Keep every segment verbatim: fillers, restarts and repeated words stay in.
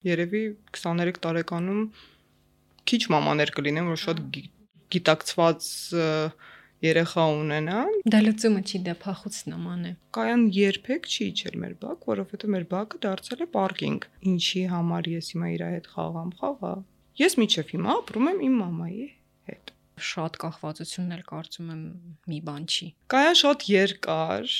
Երևի քսաներեք տարեկանում քիչ մամաներ կլինեն, որ շատ գիտակցված երեխա ունենան։ Դա լուծումը չի, դա փախուստն է։ Կայան երբեք չի իջել մեր բակ, որովհետև մեր բակը դարձել է պարկինգ։ Ինչի համար ես հիմա իր հետ խաղամ, խաղա։ Ես մինչև հիմա ապրում եմ իմ մամայի հետ։ Շատ կախվածությունն էլ կարծում եմ մի բան չի։ Կայան շատ երկար,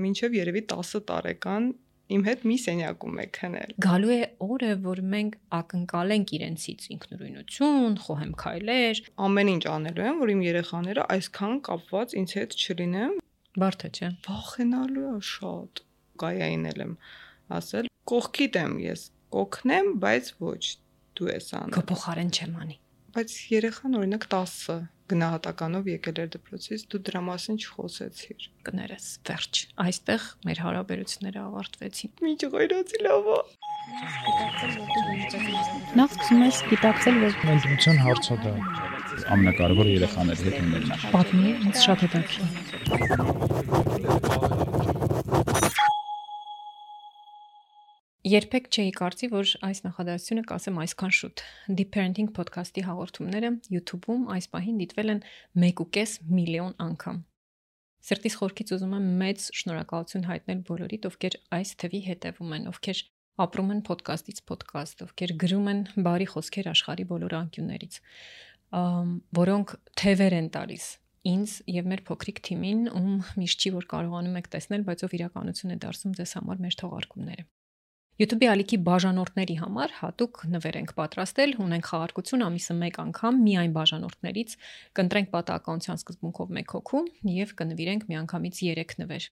մինչև երևի տասը տարեկան իմ հետ մի սենյակում է քնել։ Գալու է օրը, որ մենք ակնկալենք իրենցից ինքնուրույնություն, խոհեմքայլեր, ամեն ինչ անելու են, որ իմ երեխաները այսքան կապված ինձ հետ չլինեն։ Բարդ է, չէ՞։ Վախենալու է շատ։ Կայային եմ ասել, կողքիդ եմ ես, կօգնեմ, բայց ոչ, դու ես անում։ Քո փոխարեն չեմ անի։ Բայց երեխան օրինակ տասը գնահատականով եկել էր դպրոցից, դու դրա մասին չխոսեցիր։ Կներես, վերջ։ Այստեղ մեր հարաբերությունները ավարտվեցին։ Մի ջղայրացի լավ է։ Նախ սկսում ես գիտակցել, որ ընտրության հարցը դա ամենակարևորը երեխաների հետ ունենալն է։ Պատմի, ինձ շատ հետաքրքիր։ Երբեք չէի կարծի, որ այս նախադասությունը կասեմ այսքան շուտ։ Deep Parenting podcast-ի հաղորդումները YouTube-ում այս պահին դիտվել են մեկ ու կես միլիոն անգամ։ Սրտիս խորքից ուզում եմ մեծ շնորհակալություն հայտնել բոլորիդ, ովքեր այս թվի հետևում են, ովքեր ապրում են podcast-ից podcast, ովքեր գրում են բարի խոսքեր աշխարհի բոլոր անկյուններից, որոնք թևեր են տալիս ինձ եւ մեր փոքրիկ թիմին, ում միշտ չի որ կարողանում եք տեսնել, բայց ով իրականություն է դարձում ձեզ համար մեր թողարկումները։ YouTube-ի ալիքի բաժանորդների համար հատուկ նվեր ենք պատրաստել, ունենք խաղարկություն ամիսը մեկ անգամ միայն բաժանորդներից, կընտրենք պատահականության սկզբունքով մեկ հոգու եւ կնվիրենք միանգամից երեք նվեր։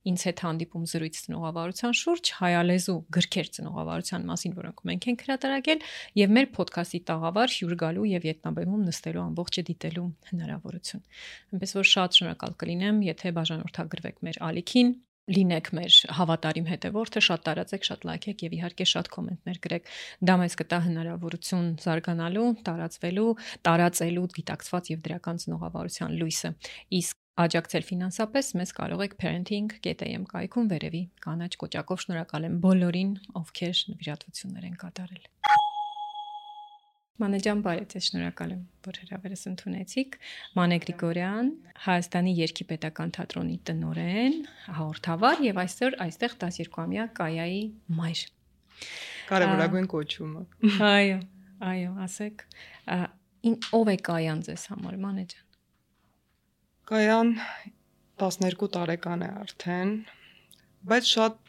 Ինձ հետ հանդիպում զրույց ծնողավարության շուրջ, հայալեզու գրքեր ծնողավարության մասին, որոնք մենք ենք հրատարակել, եւ մեր ոդքասթի տաղավար հյուր գալու եւ ետնաբեմում նստելու ամբողջը դիտելու հնարավորություն։ Այնպես որ շատ շնորհակալ կլինեմ, եթե բաժանորդագրվեք մեր ալիքին, լինեք մեր հավատարիմ հետևորդը, շատ տարածեք, շատ լայքեք եւ իհարկե շատ կոմենտներ գրեք։ Դա մեզ կտա հնարավորություն զարգանալու, տարածվելու, տարածելու գիտակցված եւ դրական ծնողավարության լույսը։ Իսկ աջակցել ֆինանսապես մեզ կարող եք parenting dot a m կայքում վերևի կանաչ կոճակով շնորհակալ եմ բոլորին, ովքեր նվիրատվություններ են կատարել։ Մանե ջան, բարև ձեզ, շնորհակալ եմ, որ հրավերս ընդունեցիք։ Մանե Գրիգորյան, Հայաստանի Երգի պետական թատրոնի տնօրեն, հաղորդավար եւ այսօր այստեղ տասներկուամյա Կայայի մայր։ Կարևորագույն կոչումը։ Այո, այո, ասեք, ով է Կայան ձեզ համար, Մանե ջան։ Կայան տասներկու տարեկան է արդեն, բայց շատ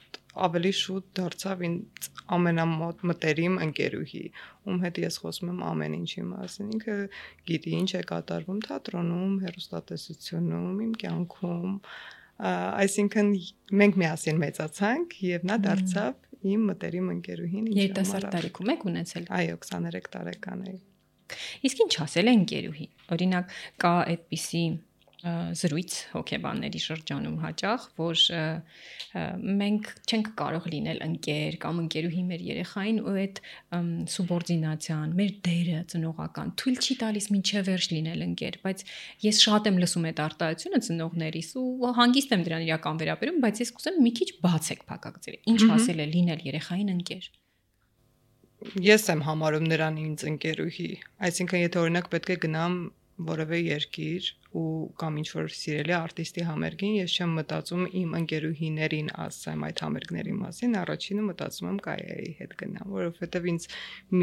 ավելի շուտ դարձավ ինձ ամենամոտ մտերիմ ընկերուհի, ում հետ ես խոսում եմ ամեն ինչի մասին։ Ինքը գիտի ինչ է կատարվում թատրոնում, հեռուստատեսությունում, իմ կյանքում, այսինքն մենք միասին մեծացանք եւ նա դարձավ իմ մտերիմ ընկերուհին։ Երիտասարդ տարիքում եք ունեցել։ Այո, քսաներեք տարեկան էի։ Իսկ ինչ ասել է ընկերուհի։ Օրինակ կա այդպիսի զրույց հոգեբանների շրջանում հաճախ, որ մենք չենք կարող լինել ընկեր կամ ընկերուհի մեր երեխային ու այդ սուբորդինացիան, մեր դերը ծնողական թույլ չի տալիս մինչև վերջ լինել ընկեր, բայց ես շատ եմ լսում այդ արտահայտությունը ծնողներիս ու հանգիստ եմ դրան իրական վերաբերում, բայց ես կուզեմ մի քիչ բացեք փակագծերը։ Ինչ ասել է լինել երեխային ընկեր։ Ես եմ համարում նրան ինձ ընկերուհի, այսինքն եթե օրինակ պետք է գնամ որևէ երկիր ու կամ ինչ որ սիրելի արտիստի համերգին, ես չեմ մտածում իմ ընկերուհիներին ասեմ այդ համերգների մասին, առաջինը մտածում եմ Կայայի հետ գնամ, որովհետև ինձ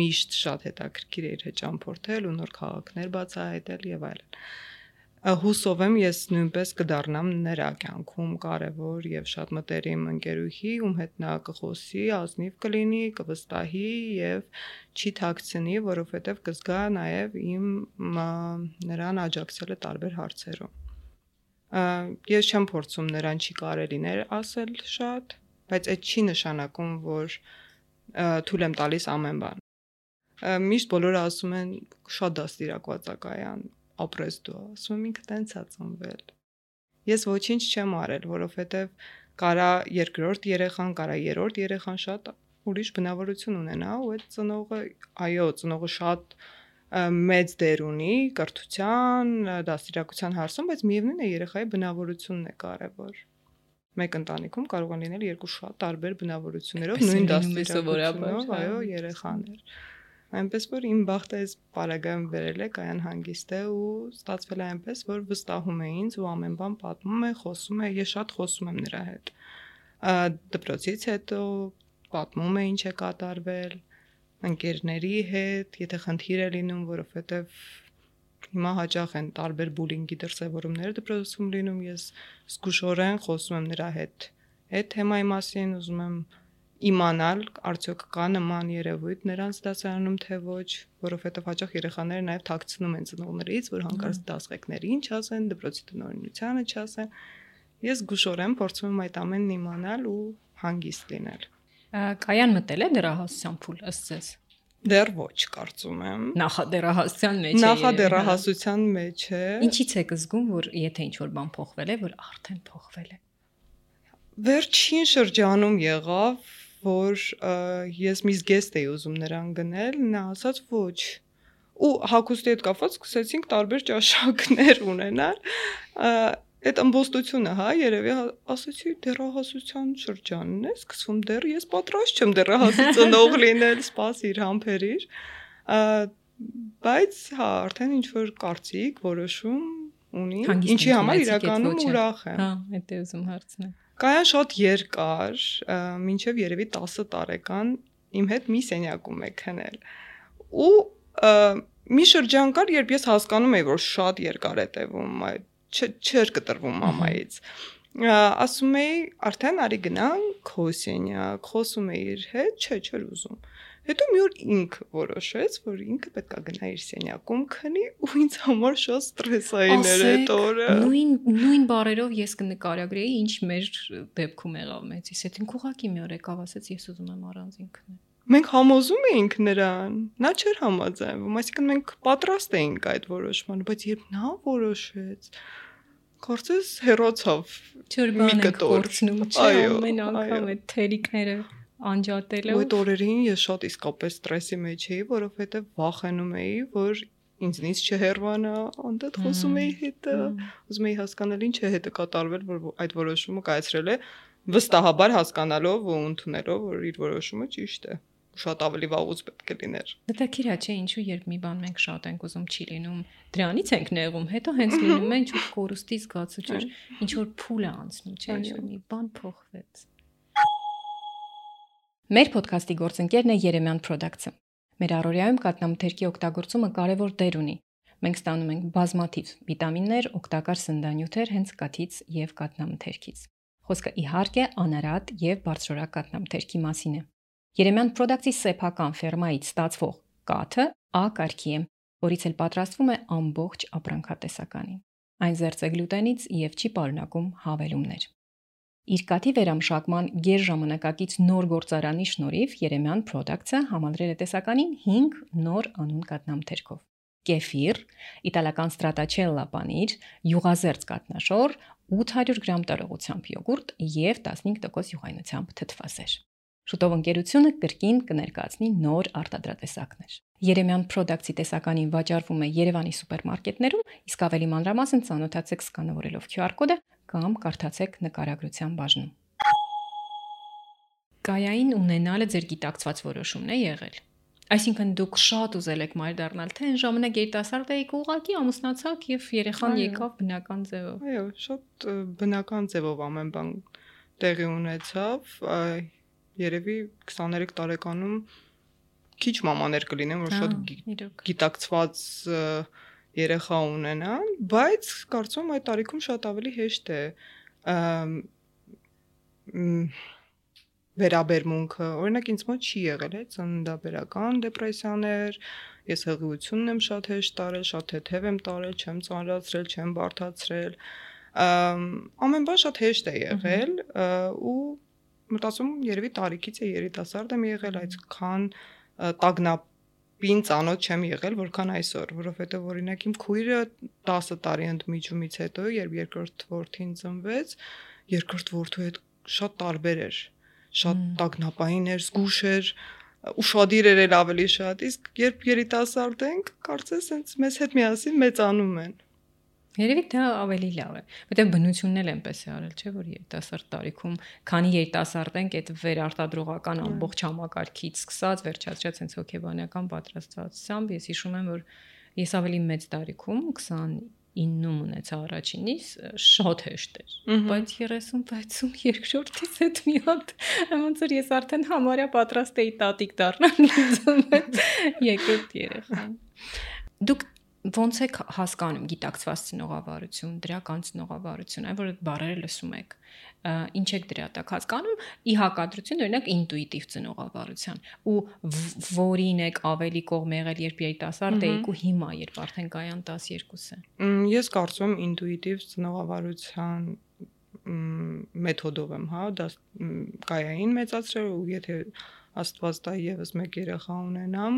միշտ շատ հետաքրքիր է իր հետ ճամփորդել ու նոր քաղաքներ բացահայտել եւ այլն։ Հուսով եմ ես նույնպես կդառնամ նրա կյանքում կարևոր եւ շատ մտերիմ ընկերուհի, ում հետ նա կխոսի, ազնիվ կլինի, կվստահի եւ չի թաքցնի, որովհետեւ կզգա նաեւ իմ նրան աջակցելը տարբեր հարցերում։ Ես չեմ փորձում նրան չի կարելիներ ասել շատ, բայց այդ չի նշանակում, որ թույլ եմ տալիս ամեն բան։ Միշտ բոլորը ասում են շատ դաստիարակված է Կայան, ապրես դու, ասում եմ ինքը տենց է ծնվել։ Ես ոչինչ չեմ արել, որովհետև կարա երկրորդ երեխան, կարա երրորդ երեխան շատ ուրիշ բնավորություն ունենա, ու այդ ծնողը, այո, ծնողը շատ մեծ դեր ունի կրթության, դաստիարակության հարցում, բայց միևնույն է երեխայի բնավորությունն է կարևոր։ մեկ ընտանիքում կարող են լինել երկու շատ տարբեր բնավորություններով նույն դաստիարակությունով, այո, երեխաներ։ Այնպես որ իմ բախտը այս պարագայում վերել է Կայան հանգիստ է ու ստացվել է այնպես, որ վստահում է ինձ ու ամեն բան պատմում է, խոսում է, ես շատ խոսում եմ նրա հետ։ Դպրոցից հետո պատմում է ինչ է կատարվել, ընկերների հետ, եթե խնդիր է լինում, որովհետև հիմա հաճախ են տարբեր բուլինգի դրսևորումներ դպրոցում լինում, ես զգուշորեն խոսում եմ նրա հետ այդ թեմայի մասին, ուզում եմ իմանալ, արդյոք կա նման երևույթ նրանց դասարանում թե ոչ, որովհետև հաճախ երեխաները նաև թաքցնում են ծնողներից, որ հանկարծ դասղեկներին չասեն, դպրոցի տնօրինությանը չասեն։ Ես զգուշորեն փորձում եմ այդ ամենն իմանալ ու հանգիստ լինել։ Կայան մտել է դեռահասության փուլ ըստ ձեզ։ Դեռ ոչ, կարծում եմ։ Նախադեռահասության մեջ է։ Նախադեռահասության մեջ է։ Ինչից եք զգում, որ եթե ինչ-որ բան փոխվել է, որ արդեն փոխվել է։ Վերջին շրջանում եղավ, որ ես մի զգեստ էի ուզում նրան գնել, նա ասաց ոչ։ Ու հագուստի հետ կապված սկսեցինք տարբեր ճաշակներ ունենալ։ Այդ ըմբոստությունը, հա, երևի ասեցի դեռահասության շրջանն է, սկսվում դեռ ես պատրաստ չեմ դեռահասի ծնող լինել, սպասիր, համբերիր։ Բայց հա, արդեն ինչ որ կարծիք, որոշում ունի, ինչի համար իրականում ուրախ եմ։ Հա, այդ է ուզում հարցնել։ Կայան շատ երկար, մինչև երևի տասը տարեկան իմ հետ մի սենյակում է քնել։ Ու մի շրջան կար, երբ ես հասկանում էի, որ շատ երկար է տևում այդ չէր կտրվում մամայից։ Ասում էի, արդեն արի գնանք քո սենյակ, խոսում էի իր հետ, չէ, չէր ուզում։ Հետո մի օր ինքը որոշեց, որ ինքը պետք է գնա իր սենյակում քնի ու ինձ համար շատ ստրեսային էր այդ օրը։ Նույն նույն բառերով ես կնկարագրեի, ինչ մեր դեպքում եղավ մեծիս հետ։ Ինքը ուղղակի մի օր եկավ, ասեց, ես ուզում եմ առանձին քնել։ Մենք համոզում էինք նրան, նա չէր համաձայնվում, այսինքն մենք պատրաստ էինք այդ որոշմանը, բայց երբ նա որոշեց, կարծես հեռացավ մի կտոր։ Այո, ամեն անգամ այդ թերիկները անջատելով։ Այդ օրերին ես շատ իսկապես ստրեսի մեջ էի, որովհետև վախենում էի, որ ինձնից չհեռվանա, անդադ խոսում էի հետը, ուզում էի հասկանալ ինչ է հետը կատարվել, որ այդ որոշումը կայացրել է, վստահաբար հասկանալով ու ընդունելով, որ իր որոշումը ճիշտ է։ Շատ ավելի վաղուց պետք է լիներ։ Հետաքրքիր է, չէ, ինչու երբ մի բան մենք շատ ենք ուզում չի լինում, դրանից ենք նեղում, հետո հենց լինում է ինչ որ կորուստի զգացություն, ինչ որ փուլ է անցնում, չէ, ինչ որ մի բան փոխվեց։ Մեր ոդքասթի գործընկերն է Երեմյան Products-ը։ Մեր առօրյայում կաթնամթերքի օգտագործումը կարևոր դեր ունի։ Մենք ստանում ենք բազմաթիվ վիտամիններ, օգտակար սննդանյութեր հենց կաթից եւ կաթնամթերքից։ Խոսքը իհարկե անարատ եւ բարձրորակ կաթնամթերքի մասին է։ Երեմյան Products-ի սեփական ֆերմայից ստացվող կաթը A կարգի է, որից էլ պատրաստվում է ամբողջ ապրանքատեսականին։ Այն զերծ է գլուտենից եւ չի պարունակում հավելումներ։ Իր կաթի վերամշակման գերժամանակակից նոր գործարանի շնորհիվ Երեմյան Products-ը համալրել է տեսականին հինգ նոր անուն կաթնամթերքով։ Կեֆիր, իտալական ստրատաչելլա պանիր, յուղազերծ կաթնաշոր, ութ հարյուր գրամ տարողությամբ յոգուրտ եւ տասնհինգ տոկոս յուղայնությամբ թթվասեր։ Շուտով ընկերությունը կրկին կներկայացնի նոր արտադրատեսակներ։ Երեմյան Products-ի տեսականին վաճառվում է Երևանի սուպերմարկետներում, իսկ ավելի մանրամասն ծանոթացեք սկանավորելով Q R կոդը կամ կարդացեք նկարագրության բաժնում։ Կայային ունենալը ձեր գիտակցված որոշումն է եղել։ Այսինքն դուք շատ ուզել եք մայր դառնալ, թե այն ժամանակ երիտասարդ եք ուղղակի ամուսնացաք եւ երեխան եկավ բնական ձևով։ Այո, շատ բնական ձևով ամեն բան տեղի ունեցավ։ Երևի քսաներեք տարեկանում քիչ մամաներ կլինեն, որ շատ գիտակցված երեխա ունենան, բայց կարծում եմ այդ տարիքում շատ ավելի հեշտ է վերաբերմունքը, օրինակ ինձ մոտ չի եղել է ծննդաբերական դեպրեսիաներ, ես հղիությունն եմ շատ հեշտ տարել, շատ թեթև եմ տարել, չեմ ծանրացրել, չեմ բարդացրել, ամեն բան շատ հեշտ է եղել ու մտածում երևի տարիքից է երիտասարդ եմ եղել, այդքան տագնապին ծանոթ չեմ եղել, որքան այսօր, որովհետև օրինակ իմ քույրը տասը տարի ընդմիջումից հետո, երբ երկրորդ որդին ծնվեց, երկրորդ որդու հետ շատ տարբեր էր, շատ տագնապային էր, զգուշ էր, ուշադիր էր էլ ավելի շատ, իսկ երբ երիտասարդ ենք, կարծես հենց մեզ հետ միասին մեծանում են։ Երևի դա ավելի լավ է, որտեղ բնությունն էլ այնպես է արել, չէ՞ որ երիտասարդ տարիքում, քանի երիտասարդ ենք, այդ վերարտադրողական ամբողջ համակարգից սկսած, վերջացրած հենց հոգեբանական պատրաստվածությամբ, ես հիշում եմ, որ ես ավելի մեծ տարիքում քսանինում ունեցա առաջինից, շատ հեշտ էր, բայց երեսուն վեցում երկրորդից հետ մի հատ, ոնց որ ես արդեն համարյա պատրաստ էի տատիկ դառնալ, երկրորդ երեխան։ Դուք ոնց եք հասկանում գիտակցված ծնողավարություն, դրական ծնողավարություն, այն որ այդ բառերը լսում եք, ինչ եք դրա տակ հասկանում, ի հակադրություն օրինակ ինտուիտիվ ծնողավարության, ու որին եք ավելի կողմ եղել, երբ երիտասարդ էիք ու հիմա, երբ արդեն կայան տասներկուսը։ Ես կարծում եմ ինտուիտիվ ծնողավարության մեթոդով եմ, հա, դա կայային մեծացրել ու եթե Աստված տա եւս մեկ երեխա ունենամ,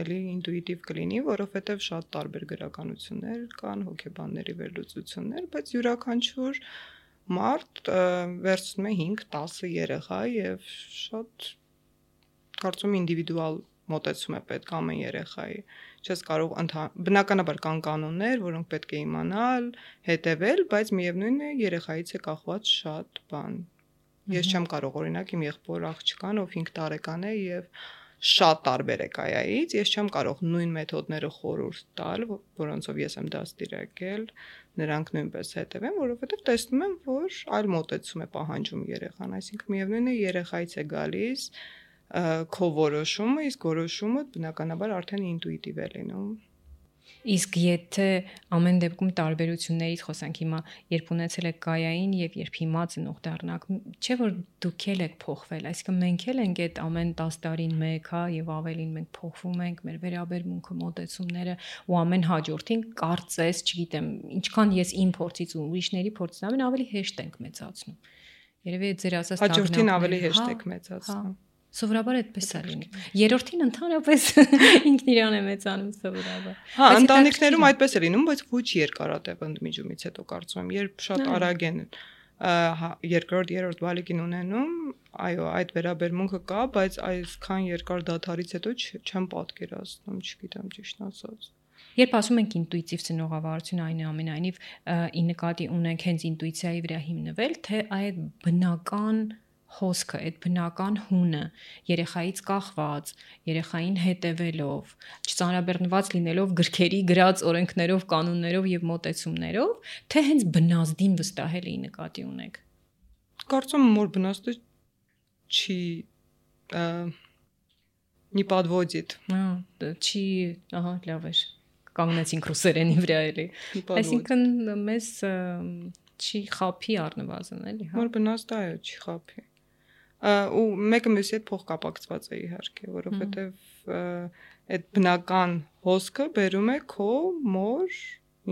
էլի ինտուիտիվ կլինի, որովհետև շատ տարբեր գրականություններ կան, հոգեբանների վերլուծություններ, բայց յուրաքանչյուր մարդ վերցնում է հինգ տասը երեխա եւ շատ կարծում ինդիվիդուալ մոտեցում է պետք ամեն երեխայի։ Չես կարող բնականաբար կան կանոններ, որոնք պետք է իմանալ, հետևել, բայց միևնույնն է երեխայից է կախված շատ բան։ Ես չեմ կարող օրինակ իմ եղբոր աղջկան, ով հինգ տարեկան է եւ շատ տարբեր է կայայից, ես չեմ կարող նույն մեթոդները խորհուրդ տալ, որոնցով ես եմ դաստիարակել, նրանք նույնպես հետևեն, որովհետև տեսնում եմ, որ այլ մոտեցում է պահանջում երեխան, այսինքն միևնույնն է երեխայից է գալիս քո որոշումը, իսկ որոշումը բնականաբար արդեն ինտուիտիվ է լինում։ Իսկ եթե ամեն դեպքում տարբերություններից խոսանք հիմա, երբ ունեցել եք կայային եւ երբ հիմա ծնող դառնաք, չէ՞ որ դուք էլ եք փոխվել, այսինքն մենք էլ ենք այդ ամեն տասը տարին մեկ, հա, եւ ավելին մենք փոխվում ենք, մեր վերաբերմունքը, մոտեցումները ու ամեն հաջորդին կարծես, չգիտեմ, ինչքան ես իմ փորձից ու ուրիշների փորձից ամեն ավելի հեշտ ենք մեծացնում։ Երևի ձեր ասած հաջորդին ավելի հեշտ եք մեծացնում։ Սովորաբար այդպես է լինում։ Երրորդին ընդհանրապես ինքն իրան է մեծանում սովորաբար։ Հա, ընտանիքներում այդպես է լինում, բայց ոչ երկարատև ընդմիջումից հետո կարծում եմ, երբ շատ արագ են երկրորդ, երրորդ բալիկին ունենում, այո, այդ վերաբերմունքը կա, բայց այսքան երկար դադարից հետո չեմ պատկերացնում, չգիտեմ ճիշտ ասած։ Երբ ասում ենք ինտուիտիվ ծնողավարություն, այնուամենայնիվ ի նկատի ունենք հենց ինտուիցիայի վրա հիմնվել, թե այդ բնական հոսքը, այդ բնական հունը, երեխայից կախված, երեխային հետևելով, չծանրաբեռնված լինելով գրքերի գրած օրենքներով, կանոններով եւ մոտեցումներով, թե հենց բնազդին վստահելի նկատի ունեք։ Կարծում եմ, որ բնազդը չի не подводит։ Չի, ահա, լավ է։ Կանգնեցինք ռուսերենի վրա էլի։ Այսինքն մեզ չի խափի առնվազն, էլի, հա։ Որ բնազդը այո, չի խափի։ Ու մեկը մյուսի հետ փոխկապակցված է իհարկե, որովհետև այդ բնական հոսքը բերում է քո մոր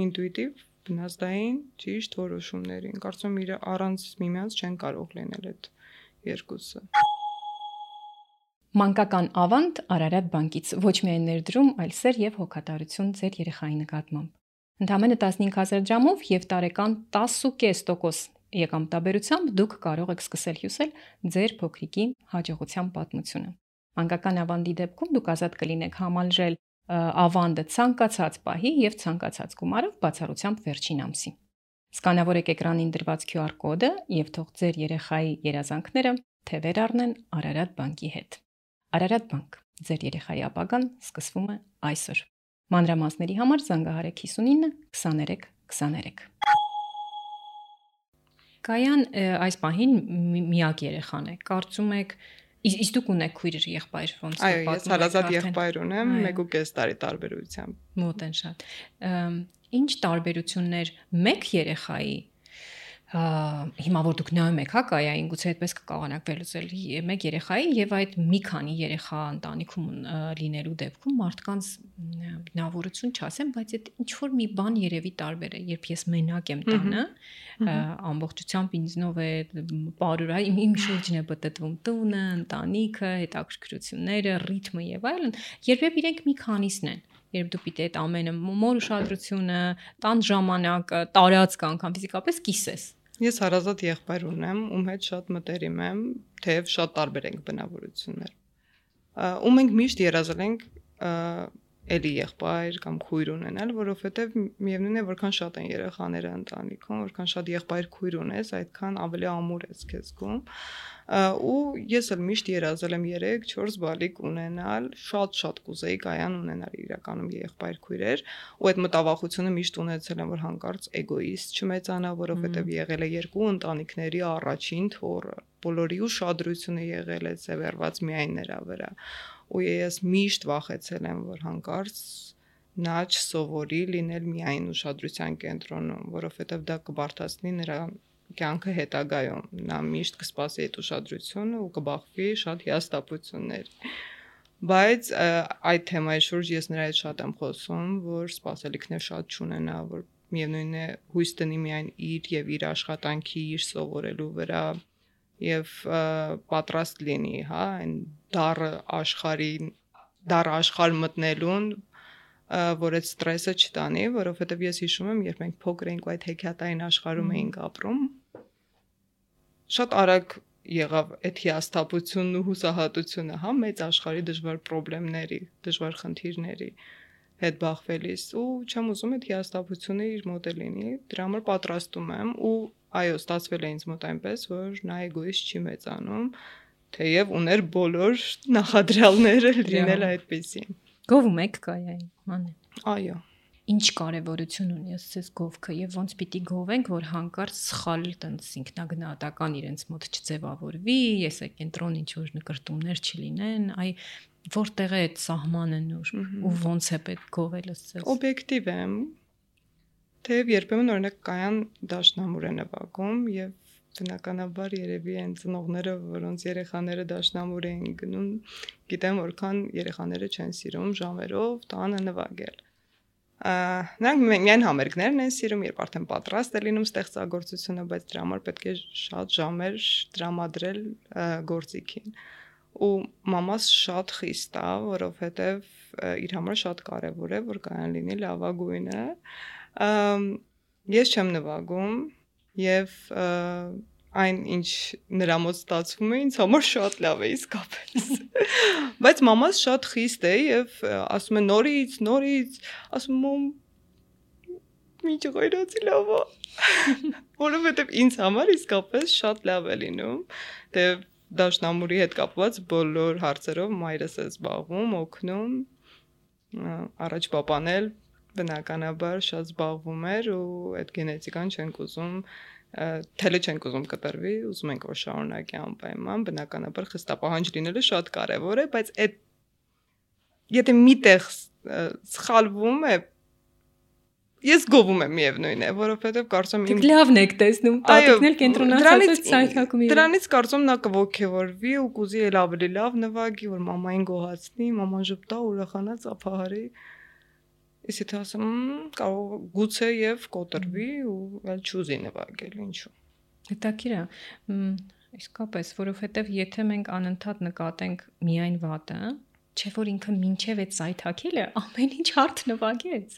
ինտուիտիվ բնազդային ճիշտ որոշումներին։ Կարծում եմ իր առանց միմյանց չեն կարող լինել այդ երկուսը։ Մանկական ավանդ Արարատ բանկից ոչ միայն ներդրում, այլ սեր եւ հոգատարություն ձեր երեխայի նկատմամբ։ Ընդամենը տասնհինգ հազար դրամով եւ տարեկան տասը փոխ պինգ տոկոս եկամտաբերությամբ դուք կարող եք սկսել հյուսել ձեր փոքրիկի հաջողության պատմությունը։ Մանկական ավանդի դեպքում դուք ազատ կլինեք համալրել ավանդը ցանկացած պահի եւ ցանկացած գումարով բացառությամբ վերջին ամսի։ Սկանավորեք էկրանին դրված քյու ար կոդը եւ թող ձեր երեխայի երազանքները թևեր առնեն Արարատ բանկի հետ։ Արարատ բանկ, ձեր երեխայի ապագան սկսվում է այսօր։ Մանրամասների համար զանգահարեք հիսունինը քսաներեք քսաներեք։ Կայան այս պահին միակ երեխան է։ Կարծում եք, իսկ դուք ունեք քույր եղբայր ոնց է պատմում։ Այո, ես հարազատ եղբայր ունեմ, մեկ ու կես տարի տարբերությամբ։ Մոտ են շատ։ Ինչ տարբերություններ մեկ երեխայի հիմա որ դուք նայում եք հա կայային գուցե այդպես կկարողանաք վերլուծել մեկ երեխայի եւ այդ մի քանի երեխա ընտանիքում լինելու դեպքում մարդկանց բնավորություն չասեմ, բայց այդ ինչ որ մի բան երևի տարբեր է, երբ ես մենակ եմ տանը, ամբողջությամբ ինձնով է բարուր, իմ շուրջն է պատտվում տունը, ընտանիքը, հետաքրքրությունները, ռիթմը եւ այլն, երբ իրենք մի քանիսն են, երբ դու պիտի այդ ամենը մոր ուշադրությունը, տան ժամանակը, տարածքը անգամ ֆիզիկապես կիսես։ Ես հարազատ եղբայր ունեմ, ում հետ շատ մտերիմ եմ, թեև շատ տարբեր ենք բնավորություններ։ Ու մենք միշտ երազել ենք էլի եղբայր կամ քույր ունենալ, որովհետև միևնույն է, որքան շատ են երեխաները ընտանիքում, որքան շատ եղբայր քույր ունես, այդքան ավելի ամուր ես քեզ զգում։ Ու ես էլ միշտ երազել եմ երեք չորս բալիկ ունենալ, շատ-շատ կուզեի կայան ունենալ իրականում եղբայր քույրեր, ու այդ մտավախությունը միշտ ունեցել եմ, որ հանկարծ էգոիստ չմեծանա, որովհետև եղել է երկու ընտանիքների առաջին թոռը, բոլորի ուշադրությունը եղել է ձևերված միայն նրա վրա։ Ու ես միշտ վախեցել եմ, որ հանկարծ նա չսովորի լինել միայն ուշադրության կենտրոնում, որովհետև դա կբարդացնի նրա կյանքը հետագայում, նա միշտ կսպասի այդ ուշադրությունը ու կբախվի շատ հիասթափություններ։ Բայց այդ թեմայի շուրջ ես նրա հետ շատ եմ խոսում, որ սպասելիքներ շատ չունենա, որ միևնույն է հույս դնի միայն իր եւ իր աշխատանքի, իր սովորելու վրա եւ պատրաստ լինի, հա, այն դառը աշխարհին, դառը աշխարհ մտնելուն, որ այդ ստրեսը չտանի, որովհետեւ ես հիշում եմ, երբ մենք փոքր էինք ու այդ հեքիաթային աշխարհում էինք ապրում, շատ արագ եղավ այդ հիասթափությունն ու հուսահատությունը, հա, մեծ աշխարհի դժվար խնդիրների, դժվար խնդիրների հետ բախվելիս ու չեմ ուզում այդ հիասթափությունը իր մոտ լինի, դրա համար պատրաստում եմ ու այո, ստացվել է ինձ մոտ այնպես, որ նա էգոիստ չի մեծանում, թեև ուներ բոլոր նախադրյալները լինել այդպեսին։ Գովում եք կայային, մանե։ Այո։ Ինչ կարևորություն ունի ասես գովքը եւ ոնց պիտի գովենք, որ հանկարծ սխալ տենց ինքնագնահատական իրենց մոտ չձևավորվի, ես է կենտրոն ինչ որ նկրտումներ չլինեն, այ որտեղ է այդ սահմանը նոր ու ոնց է պետք գովել ասես։ Օբյեկտիվ եմ։ Թեև երբեմն օրինակ կայան դաշնամուր է նվագում եւ բնականաբար երևի այն ծնողները, որոնց երեխաները դաշնամուր էին գնում, գիտեմ որքան երեխաները չեն սիրում ժամերով տանը նվագել։ Նրանք միայն համերգներն են սիրում, երբ արդեն պատրաստ է լինում ստեղծագործությունը, բայց դրա համար պետք է շատ ժամեր տրամադրել գործիքին։ Ու մամաս շատ խիստ է, որովհետև իր համար շատ կարևոր է, որ կայան լինի լավագույնը։ Ես չեմ նվագում եւ այն ինչ նրա մոտ ստացվում է ինձ համար շատ լավ է իսկապես։ Բայց մամաս շատ խիստ է եւ ասում է նորից, նորից, ասում եմ մի ջղայրացի լավ է։ Որովհետեւ ինձ համար իսկապես շատ լավ է լինում, դե դաշնամուրի հետ կապված բոլոր հարցերով մայրս է զբաղվում, օգնում, առաջ պապան էլ բնականաբար շատ զբաղվում էր ու այդ գենետիկան չենք ուզում թելը չենք ուզում կտրվի, ուզում ենք որ շարունակի անպայման, բնականաբար խստապահանջ լինելը շատ կարևոր է, բայց այդ եթե միտեղ սխալվում է, ես գովում եմ միևնույն է, որովհետև կարծում եմ իմ լավն եք տեսնում, տատիկն էլ կենտրոնացած ցայթակում է։ Դրանից կարծում նա կողքեվորվի ու կուզի էլ ավելի լավ նվագի, որ մամային գոհացնի, մաման ժպտա, ուրախանա, ծափահարի։ Ես եթե ասեմ, կարող գուցե եւ կոտրվի ու այլ չուզի նվագել, ինչու։ Հետաքրքիր է, իսկապես, որովհետեւ եթե մենք անընդհատ նկատենք միայն վատը, չէ՞ որ ինքը մինչեւ այդ սայթակելը ամեն ինչ հարթ նվագեց։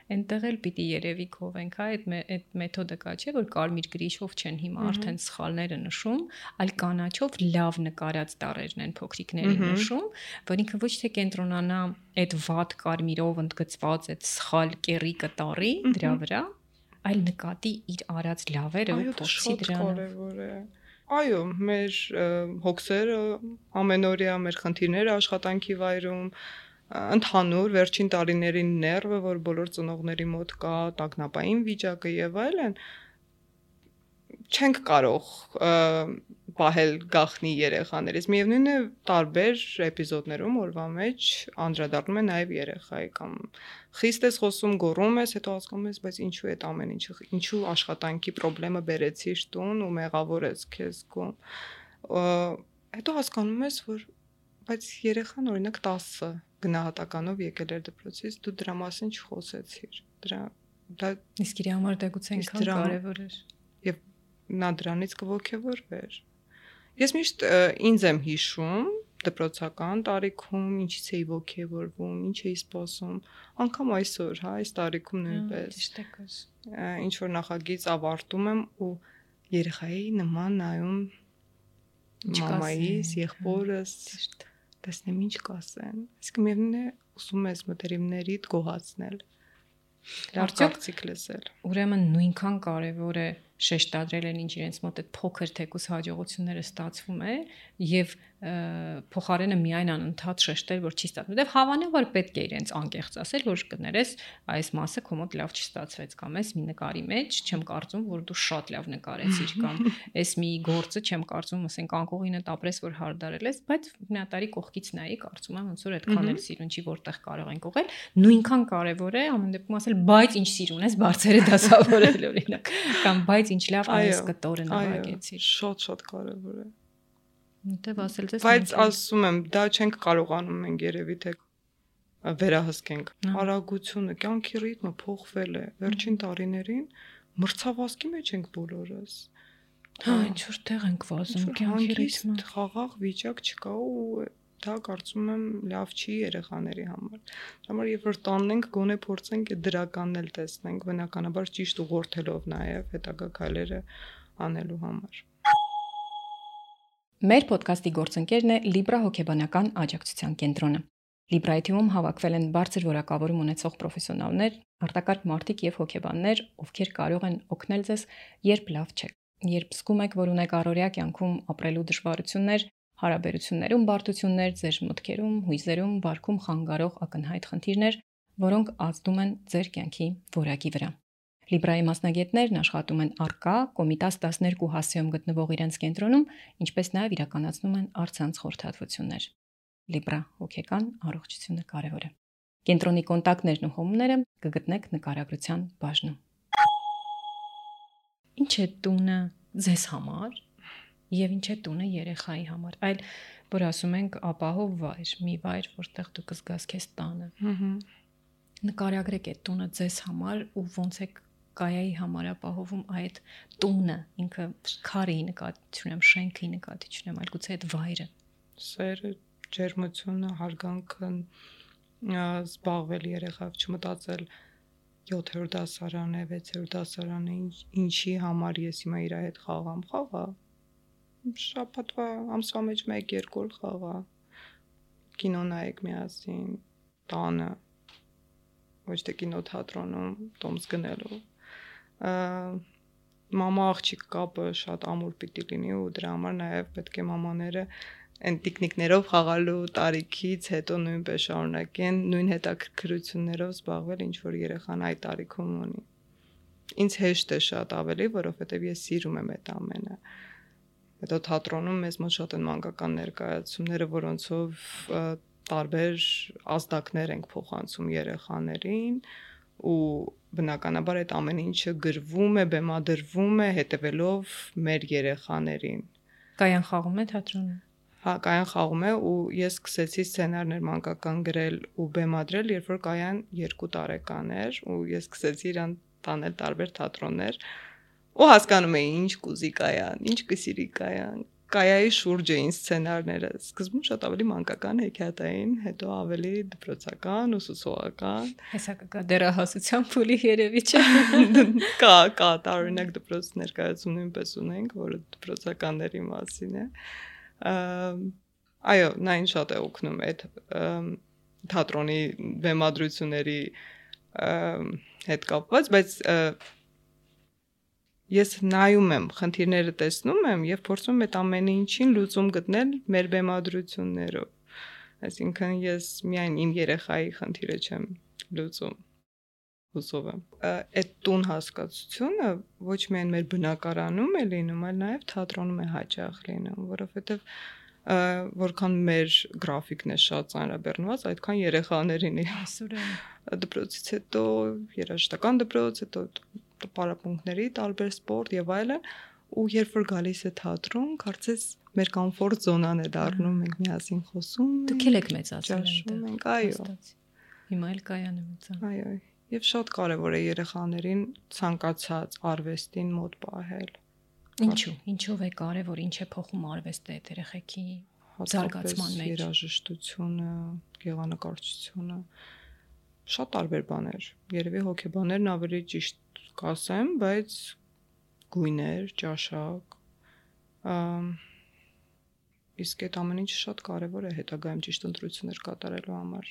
Այնտեղ էլ պիտի երևի կովենք, հա, այդ այդ մեթոդը կա, չէ՞ որ կարմիր գրիշով չեն հիմա արդեն սխալները նշում, այլ կանաչով լավ նկարած տառերն են փոքրիկներին նշում, որ ինքը ոչ թե կենտրոնանա այդ վատ կարմիրով ընդգծված այդ սխալ կեռիկը տառի դրա վրա, այլ նկատի իր արած լավերը ու փոխի դրանով։ Այո, մեր հոգսերը ամենօրյա մեր խնդիրները աշխատանքի վայրում ընդհանուր վերջին տարիների ներվը, որ բոլոր ծնողների մոտ կա, տագնապային վիճակը եւ այլն, չենք կարող պահել գախնի երեխաներից։ Միևնույն է, տարբեր էպիզոդներում օրվա մեջ անդրադառնում է նաեւ երեխայի կամ խիստ ես խոսում, գոռում ես, հետո հասկանում ես, բայց ինչու է այդ ամեն ինչը, ինչու աշխատանքի խնդրեմը բերեցիր տուն ու մեղավոր ես քեզ զգում։ Հետո հասկանում ես, որ բայց երեխան օրինակ տասը գնահատականով եկել էր դպրոցից, դու դրա մասին չխոսեցիր։ Դրա դա իսկ իր համար դա գուցե այնքան կարևոր էր։ Եվ նա դրանից կողքեվորվեր։ Ես միշտ ինձ եմ հիշում դպրոցական տարիքում ինչից էի ողքեվորվում, ինչ էի սպասում, անգամ այսօր, հա, այս տարիքում նույնպես։ Ճիշտ է կոս։ Ինչ որ նախագիծ ավարտում եմ ու երեխայի նման նայում մամայիս, եղբորս, տեսնեմ ինչ կասեն։ Իսկ միևնույն է ուսում ես մտերիմներիդ գոհացնել։ Լավ կարծիք լսել։ Ուրեմն նույնքան կարևոր է շեշտադրել են ինչ իրենց մոտ այդ փոքր թեկուս հաջողությունները ստացվում է եւ փոխարենը միայն անընդհատ շեշտել, որ չի ստացվում։ Դե հավանաբար պետք է իրենց անկեղծ ասել, որ կներես այս մասը քո մոտ լավ չստացվեց կամ այս մի նկարի մեջ չեմ կարծում, որ դու շատ լավ նկարեցիր կամ այս մի գործը չեմ կարծում, ասենք անկողինդ ապրես, որ հարդարել ես, բայց հնատարի կողքից նայի, կարծում եմ ոնց որ այդքան էլ սիրուն չի, որտեղ կարող ենք ուղղել, նույնքան կարևոր է ամեն դեպքում ասել, բայց ինչ սիրուն ես, բարձր է դասավորել օրինակ, կամ բայց ինչ լավ այս կտորը նվագեցիր։ Շատ-շատ կարևոր է։ Դե ասել ես։ Բայց ասում եմ, դա չենք կարողանում մենք երևի թե վերահսկենք։ Արագությունը, կյանքի ռիթմը փոխվել է։ Վերջին տարիներին մրցավազքի մեջ ենք բոլորս։ Հա, ինչ որ տեղ ենք վազում, կյանքի ռիթմը խաղաղ վիճակ չկա ու դա կարծում եմ լավ չի երեխաների համար։ Համար երբ որ տանն ենք, գոնե փորձենք այդ դրականն էլ տեսնենք, բնականաբար ճիշտ ուղղորդելով նաև հետագա քայլերը անելու համար։ Մեր ոդքասթի գործընկերն է Libra հոգեբանական աջակցության կենտրոնը։ Libra-ի թիմում հավաքվել են բարձր որակավորում ունեցող պրոֆեսիոնալներ, արտակարգ մարդիկ եւ հոգեբաններ, ովքեր կարող են օգնել ձեզ, երբ լավ չեք, երբ զգում եք, որ ունեք առօրյա կյանքում ապրելու դժվարություններ, հարաբերություններում բարդություններ, ձեր մտքերում, հույզերում, վարքում խանգարող ակնհայտ խնդիրներ, որոնք ազդում են ձեր կյանքի որակի վրա։ Libra-ի մասնագետներն աշխատում են Առկա, Կոմիտաս տասներկու հասցեում գտնվող իրենց կենտրոնում, ինչպես նաև իրականացնում են առցանց խորհրդատվություններ։ Libra հոգեկան առողջությունը կարևոր է։ Կենտրոնի կոնտակտներն ու հոմները կգտնեք նկարագրության բաժնում։ Ինչ է տունը ձեզ համար եւ ինչ է տունը երեխայի համար։ Այլ որ ասում ենք ապահով վայր, մի վայր, որտեղ դու կզգաս քեզ տանը։ Ահա։ Նկարագրեք այդ տունը ձեզ համար ու ոնց է Կայայի համար ապահովում այդ տունը, ինքը քարի նկատի չունեմ, շենքի նկատի չունեմ, այլ գուցե այդ վայրը։ Սերը, ջերմությունը, հարգանքը, զբաղվել երեխայով, չմտածել յոթերորդ դասարան է, վեցերորդ դասարան է, ինչի համար ես հիմա իր հետ խաղամ, խաղա։ Շաբաթվա ամսվա մեջ մեկ-երկու օր խաղա։ Կինո նայեք միասին, տանը, ոչ թե կինոթատրոնում, տոմս գնելու։ Մամա աղջիկ կապը շատ ամուր պիտի լինի ու դրա համար նաև պետք է մամաները այն տիկնիկներով խաղալու տարիքից հետո նույնպես շարունակեն նույն հետաքրքրություններով զբաղվել, ինչ որ երեխան այդ տարիքում ունի։ Ինձ հեշտ է շատ ավելի, որովհետև ես սիրում եմ այդ ամենը։ Հետո թատրոնում մեզ մոտ շատ են մանկական ներկայացումները, որոնցով տարբեր ազդակներ ենք փոխանցում երեխաներին ու բնականաբար այդ ամեն ինչը գրվում է, բեմադրվում է հետևելով մեր երեխաներին։ Կայան խաղում է թատրոնում։ Հա, Կայան խաղում է ու ես սկսեցի սցենարներ մանկական գրել ու բեմադրել, երբ որ Կայան երկու տարեկան էր ու ես սկսեցի իրան տանել տարբեր թատրոններ ու հասկանում էի ինչ կուզի Կայան, ինչ կսիրի Կայան։ Կայայի շուրջ էին սցենարները։ Սկզբում շատ ավելի մանկական հեքիաթային, հետո ավելի դպրոցական, ուսուցողական։ Հեսա կգա դերահասության փուլի երևի չէ։ Կա, կա, տարօրինակ դպրոց ներկայացում նույնպես ունենք, որը դպրոցականների մասին է։ Այո, նա ինձ շատ է օգնում այդ թատրոնի բեմադրությունների հետ կապված, բայց ես նայում եմ, խնդիրները տեսնում եմ եւ փորձում եմ այդ ամեն ինչին լուծում գտնել մեր բեմադրություններով։ Այսինքն ես միայն իմ երեխայի խնդիրը չեմ լուծում։ Հուսով եմ։ Այդ տուն հասկացությունը ոչ միայն մեր բնակարանում է լինում, այլ նաեւ թատրոնում է հաճախ լինում, որովհետեւ որքան մեր գրաֆիկն է շատ ծանրաբեռնված, այդքան երեխաներին է։ Այսօր դպրոցից հետո երաժշտական դպրոց, հետո պարապմունքների, տարբեր սպորտ եւ այլն, ու երբ որ գալիս է թատրոն, կարծես մեր կոմֆորտ զոնան է դառնում, մենք միասին խոսում ենք։ Դուք եք մեծացել ենք, այո։ Հիմա էլ Կայանը մեծանում։ Այո, եւ շատ կարեւոր է երեխաներին ցանկացած արվեստին մոտ պահել։ Ինչու՞, ինչով է կարեւոր, ինչ է փոխում արվեստը այդ երեխեքի զարգացման մեջ։ Երաժշտությունը, գեղանկարչությունը, շատ տարբեր բաներ։ Երևի հոգեբաներն ավելի ճիշտ կասեմ, բայց գույներ, ճաշակ, իսկ այդ ամեն ինչը շատ կարևոր է հետագայում ճիշտ ընտրություններ կատարելու համար,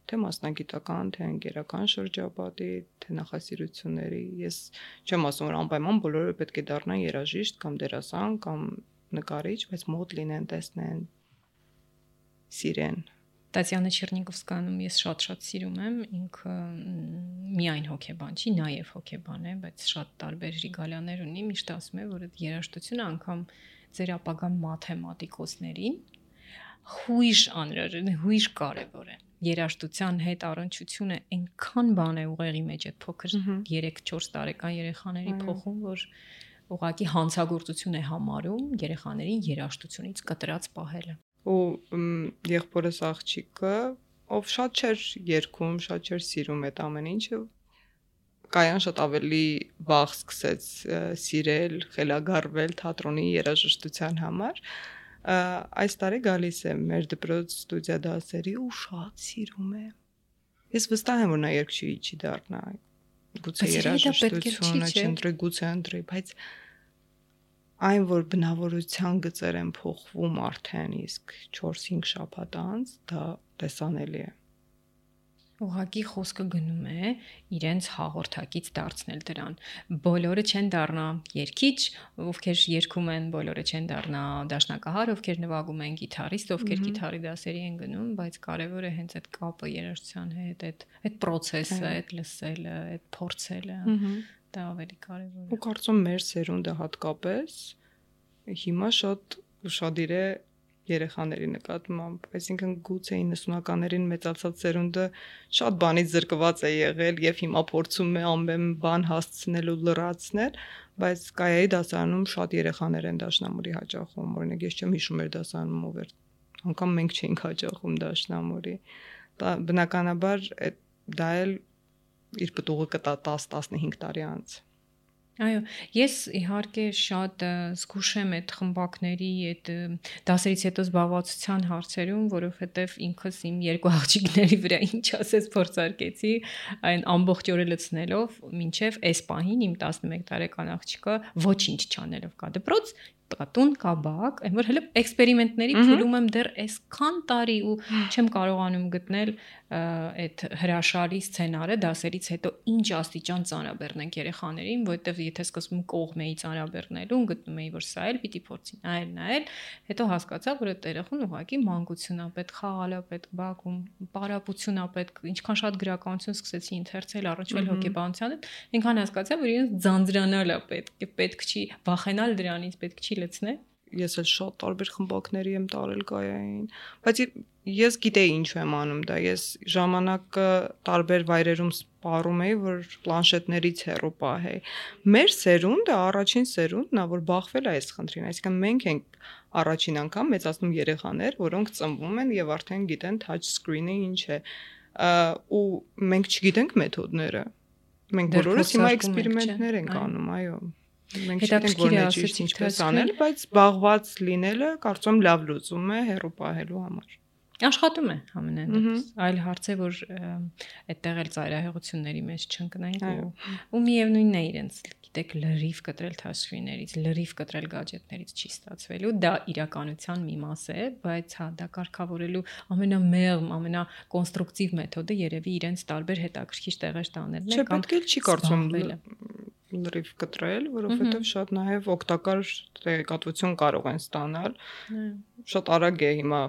թե մասնագիտական, թե ընկերական շրջապատի, թե նախասիրությունների։ Ես չեմ ասում, որ անպայման բոլորը պետք է դառնան երաժիշտ կամ դերասան կամ նկարիչ, բայց մոտ լինեն, տեսնեն, սիրեն։ Տատյանա Չեռնիգովսկայանում ես շատ-շատ սիրում եմ, ինքը միայն հոգեբան չի, նաև հոգեբան է, բայց շատ տարբեր ռիգալիաներ ունի, միշտ ասում է, որ այդ երաժշտությունը անգամ ձեր ապագա մաթեմատիկոսներին հույժ անհրաժեշտ, հույժ կարևոր է։ Երաժշտության հետ առնչությունը այնքան բան է ուղեղի մեջ այդ փոքր երեք-չորս տարեկան երեխաների փոխում, որ ուղղակի հանցագործություն է համարում երեխաներին երաժշտությունից կտրած պահելը։ Ու եղբորս աղջիկը, ով շատ չէր երգում, շատ չէր սիրում այդ ամեն ինչը, կայան շատ ավելի վաղ սկսեց սիրել, խելագարվել թատրոնի երաժշտության համար։ Այս տարի գալիս է մեր դպրոց ստուդիա դասերի ու շատ սիրում է։ Ես վստահ եմ, որ նա երգչուհի չի դառնա, գուցե երաժշտությունը չընտրի, գուցե ընտրի, բայց այն, որ բնավորության գծեր են փոխվում արդեն իսկ չորս-հինգ շաբաթ անց, դա տեսանելի է։ Ուղղակի խոսքը գնում է իրենց հաղորդակից դարձնել դրան։ Բոլորը չեն դառնա երգիչ, ովքեր երգում են, բոլորը չեն դառնա դաշնակահար, ովքեր նվագում են, գիտարիստ, ովքեր գիտարի դասերի են գնում, բայց կարևորը է հենց այդ կապը երաժշտության հետ, այդ այդ process-ը, այդ լսելը, այդ փորձելը, դա ավելի կարևոր է։ Ու կարծում մեր սերունդը հատկապես հիմա շատ ուշադիր է երեխաների նկատմամբ, այսինքն գուցե իննսունականներին մեծացած սերունդը շատ բանից զրկված է եղել եւ հիմա փորձում է ամեն բան հասցնել ու լրացնել, բայց կայայի դասարանում շատ երեխաներ են դաշնամուրի հաճախում, օրինակ ես չեմ հիշում մեր դասարանում ով էր, անգամ մենք չէինք հաճախում դաշնամուրի։ Դա բնականաբար դա էլ իր պտուղը կտա տաս-տասնհինգ տարի անց։ Այո, ես իհարկե շատ զգուշ եմ այդ խմբակների, այդ դասերից հետո զբաղվածության հարցերում, որովհետև ինքս իմ երկու աղջիկների վրա ինչ ասես փորձարկեցի, այն ամբողջ օրը լցնելով, մինչև այս պահին իմ տասնմեկ տարեկան աղջիկը ոչինչ չանելով կա դպրոց, տուն կա բակ, այն որ հələ էքսպերիմենտների փուլում եմ դեռ այսքան տարի ու չեմ կարողանում գտնել այդ հրաշալի սցենարը դասերից հետո ինչ աստիճան ծանրաբեռնենք երեխաներին, որովհետև եթե սկզբում կողմ էի ծանրաբեռնելու, գտնում էի, որ սա էլ պիտի փորձի նայել, նայել, հետո հասկացա, որ այդ երեխան ուղղակի մանկությունն է պետք, խաղալ է պետք, բակում, պարապությունն է պետք, ինչքան շատ գրականություն սկսեցի ընթերցել, առնչվել հոգեբանության հետ, այնքան հասկացա, որ իրենց ձանձրանալ է պետք, պետք չի վախենալ դրանից, պետք չի լցնել։ Ես էլ շատ տարբեր խմբակների եմ տարել կայային, բայց ես գիտեի ինչու եմ անում դա, ես ժամանակը տարբեր վայրերում սպառում էի, որ պլանշետներից հեռու պահեի։ Մեր սերունդը առաջին սերունդն է, որ բախվել է այս խնդրին, այսինքն մենք ենք առաջին անգամ մեծացնում երեխաներ, որոնք ծնվում են եւ արդեն գիտեն touch screen-ը ինչ է, ու մենք չգիտենք մեթոդները։ Մենք բոլորս հիմա էքսպերիմենտներ ենք անում, այո։ Մենք չգիտենք որ ճիշտ ինչպես անել, բայց զբաղված լինելը կարծում լավ լուծում է հեռու պահելու համար։ Աշխատում է ամենայն դեպս։ Այլ հարց է, որ այդտեղ էլ ծայրահեղությունների մեջ չընկնենք ու ու միևնույնն է իրենց, գիտեք, լրիվ կտրել թաշկիներից, լրիվ կտրել գadgetներից չի ստացվելու, դա իրականության մի մաս է, բայց հա դա կարգավորելու ամենամեղմ, ամենակոնստրուկտիվ մեթոդը երևի իրենց տարբեր հետաքրքիր տեղեր տանելն է կամ պետք է չի կարծում լրիվ կտրել, որովհետև շատ նաև օգտակար տեղեկատվություն կարող են ստանալ։ Շատ արագ է հիմա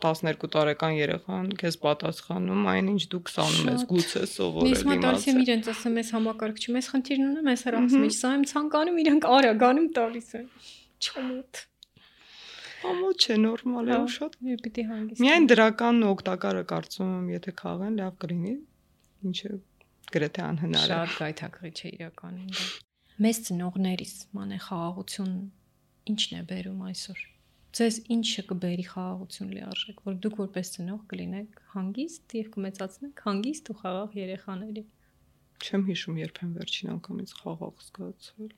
տասներկու տարեկան երեխան քեզ պատասխանում, այնինչ դու քսանում ես գուցե սովորել իմացել։ Ես մտածի եմ իրենց ասեմ, ես համակարգչում ես խնդիրն ունեմ, ես հրախս մեջ, սա եմ ցանկանում, իրենք արագանում տալիս են։ Չմոտ։ Ամոթ չէ, նորմալ է, ու շատ պիտի հանգիստ։ Միայն դրականն ու օգտակարը կարծում եմ, եթե քաղեն, լավ կլինի, ինչը գրեթե անհնար է։ Շատ գայթակղիչ է իրականում դա։ Մեզ ծնողներիս մանե խաղաղություն ի՞նչն է բերում այսօր։ Ձեզ ինչը կբերի խաղաղություն լիարժեք, որ դուք որպես ծնող կլինեք հանգիստ եւ կմեծացնեք հանգիստ ու խաղաղ երեխաների։ Չեմ հիշում երբեք վերջին անգամից խաղաղ զգացել։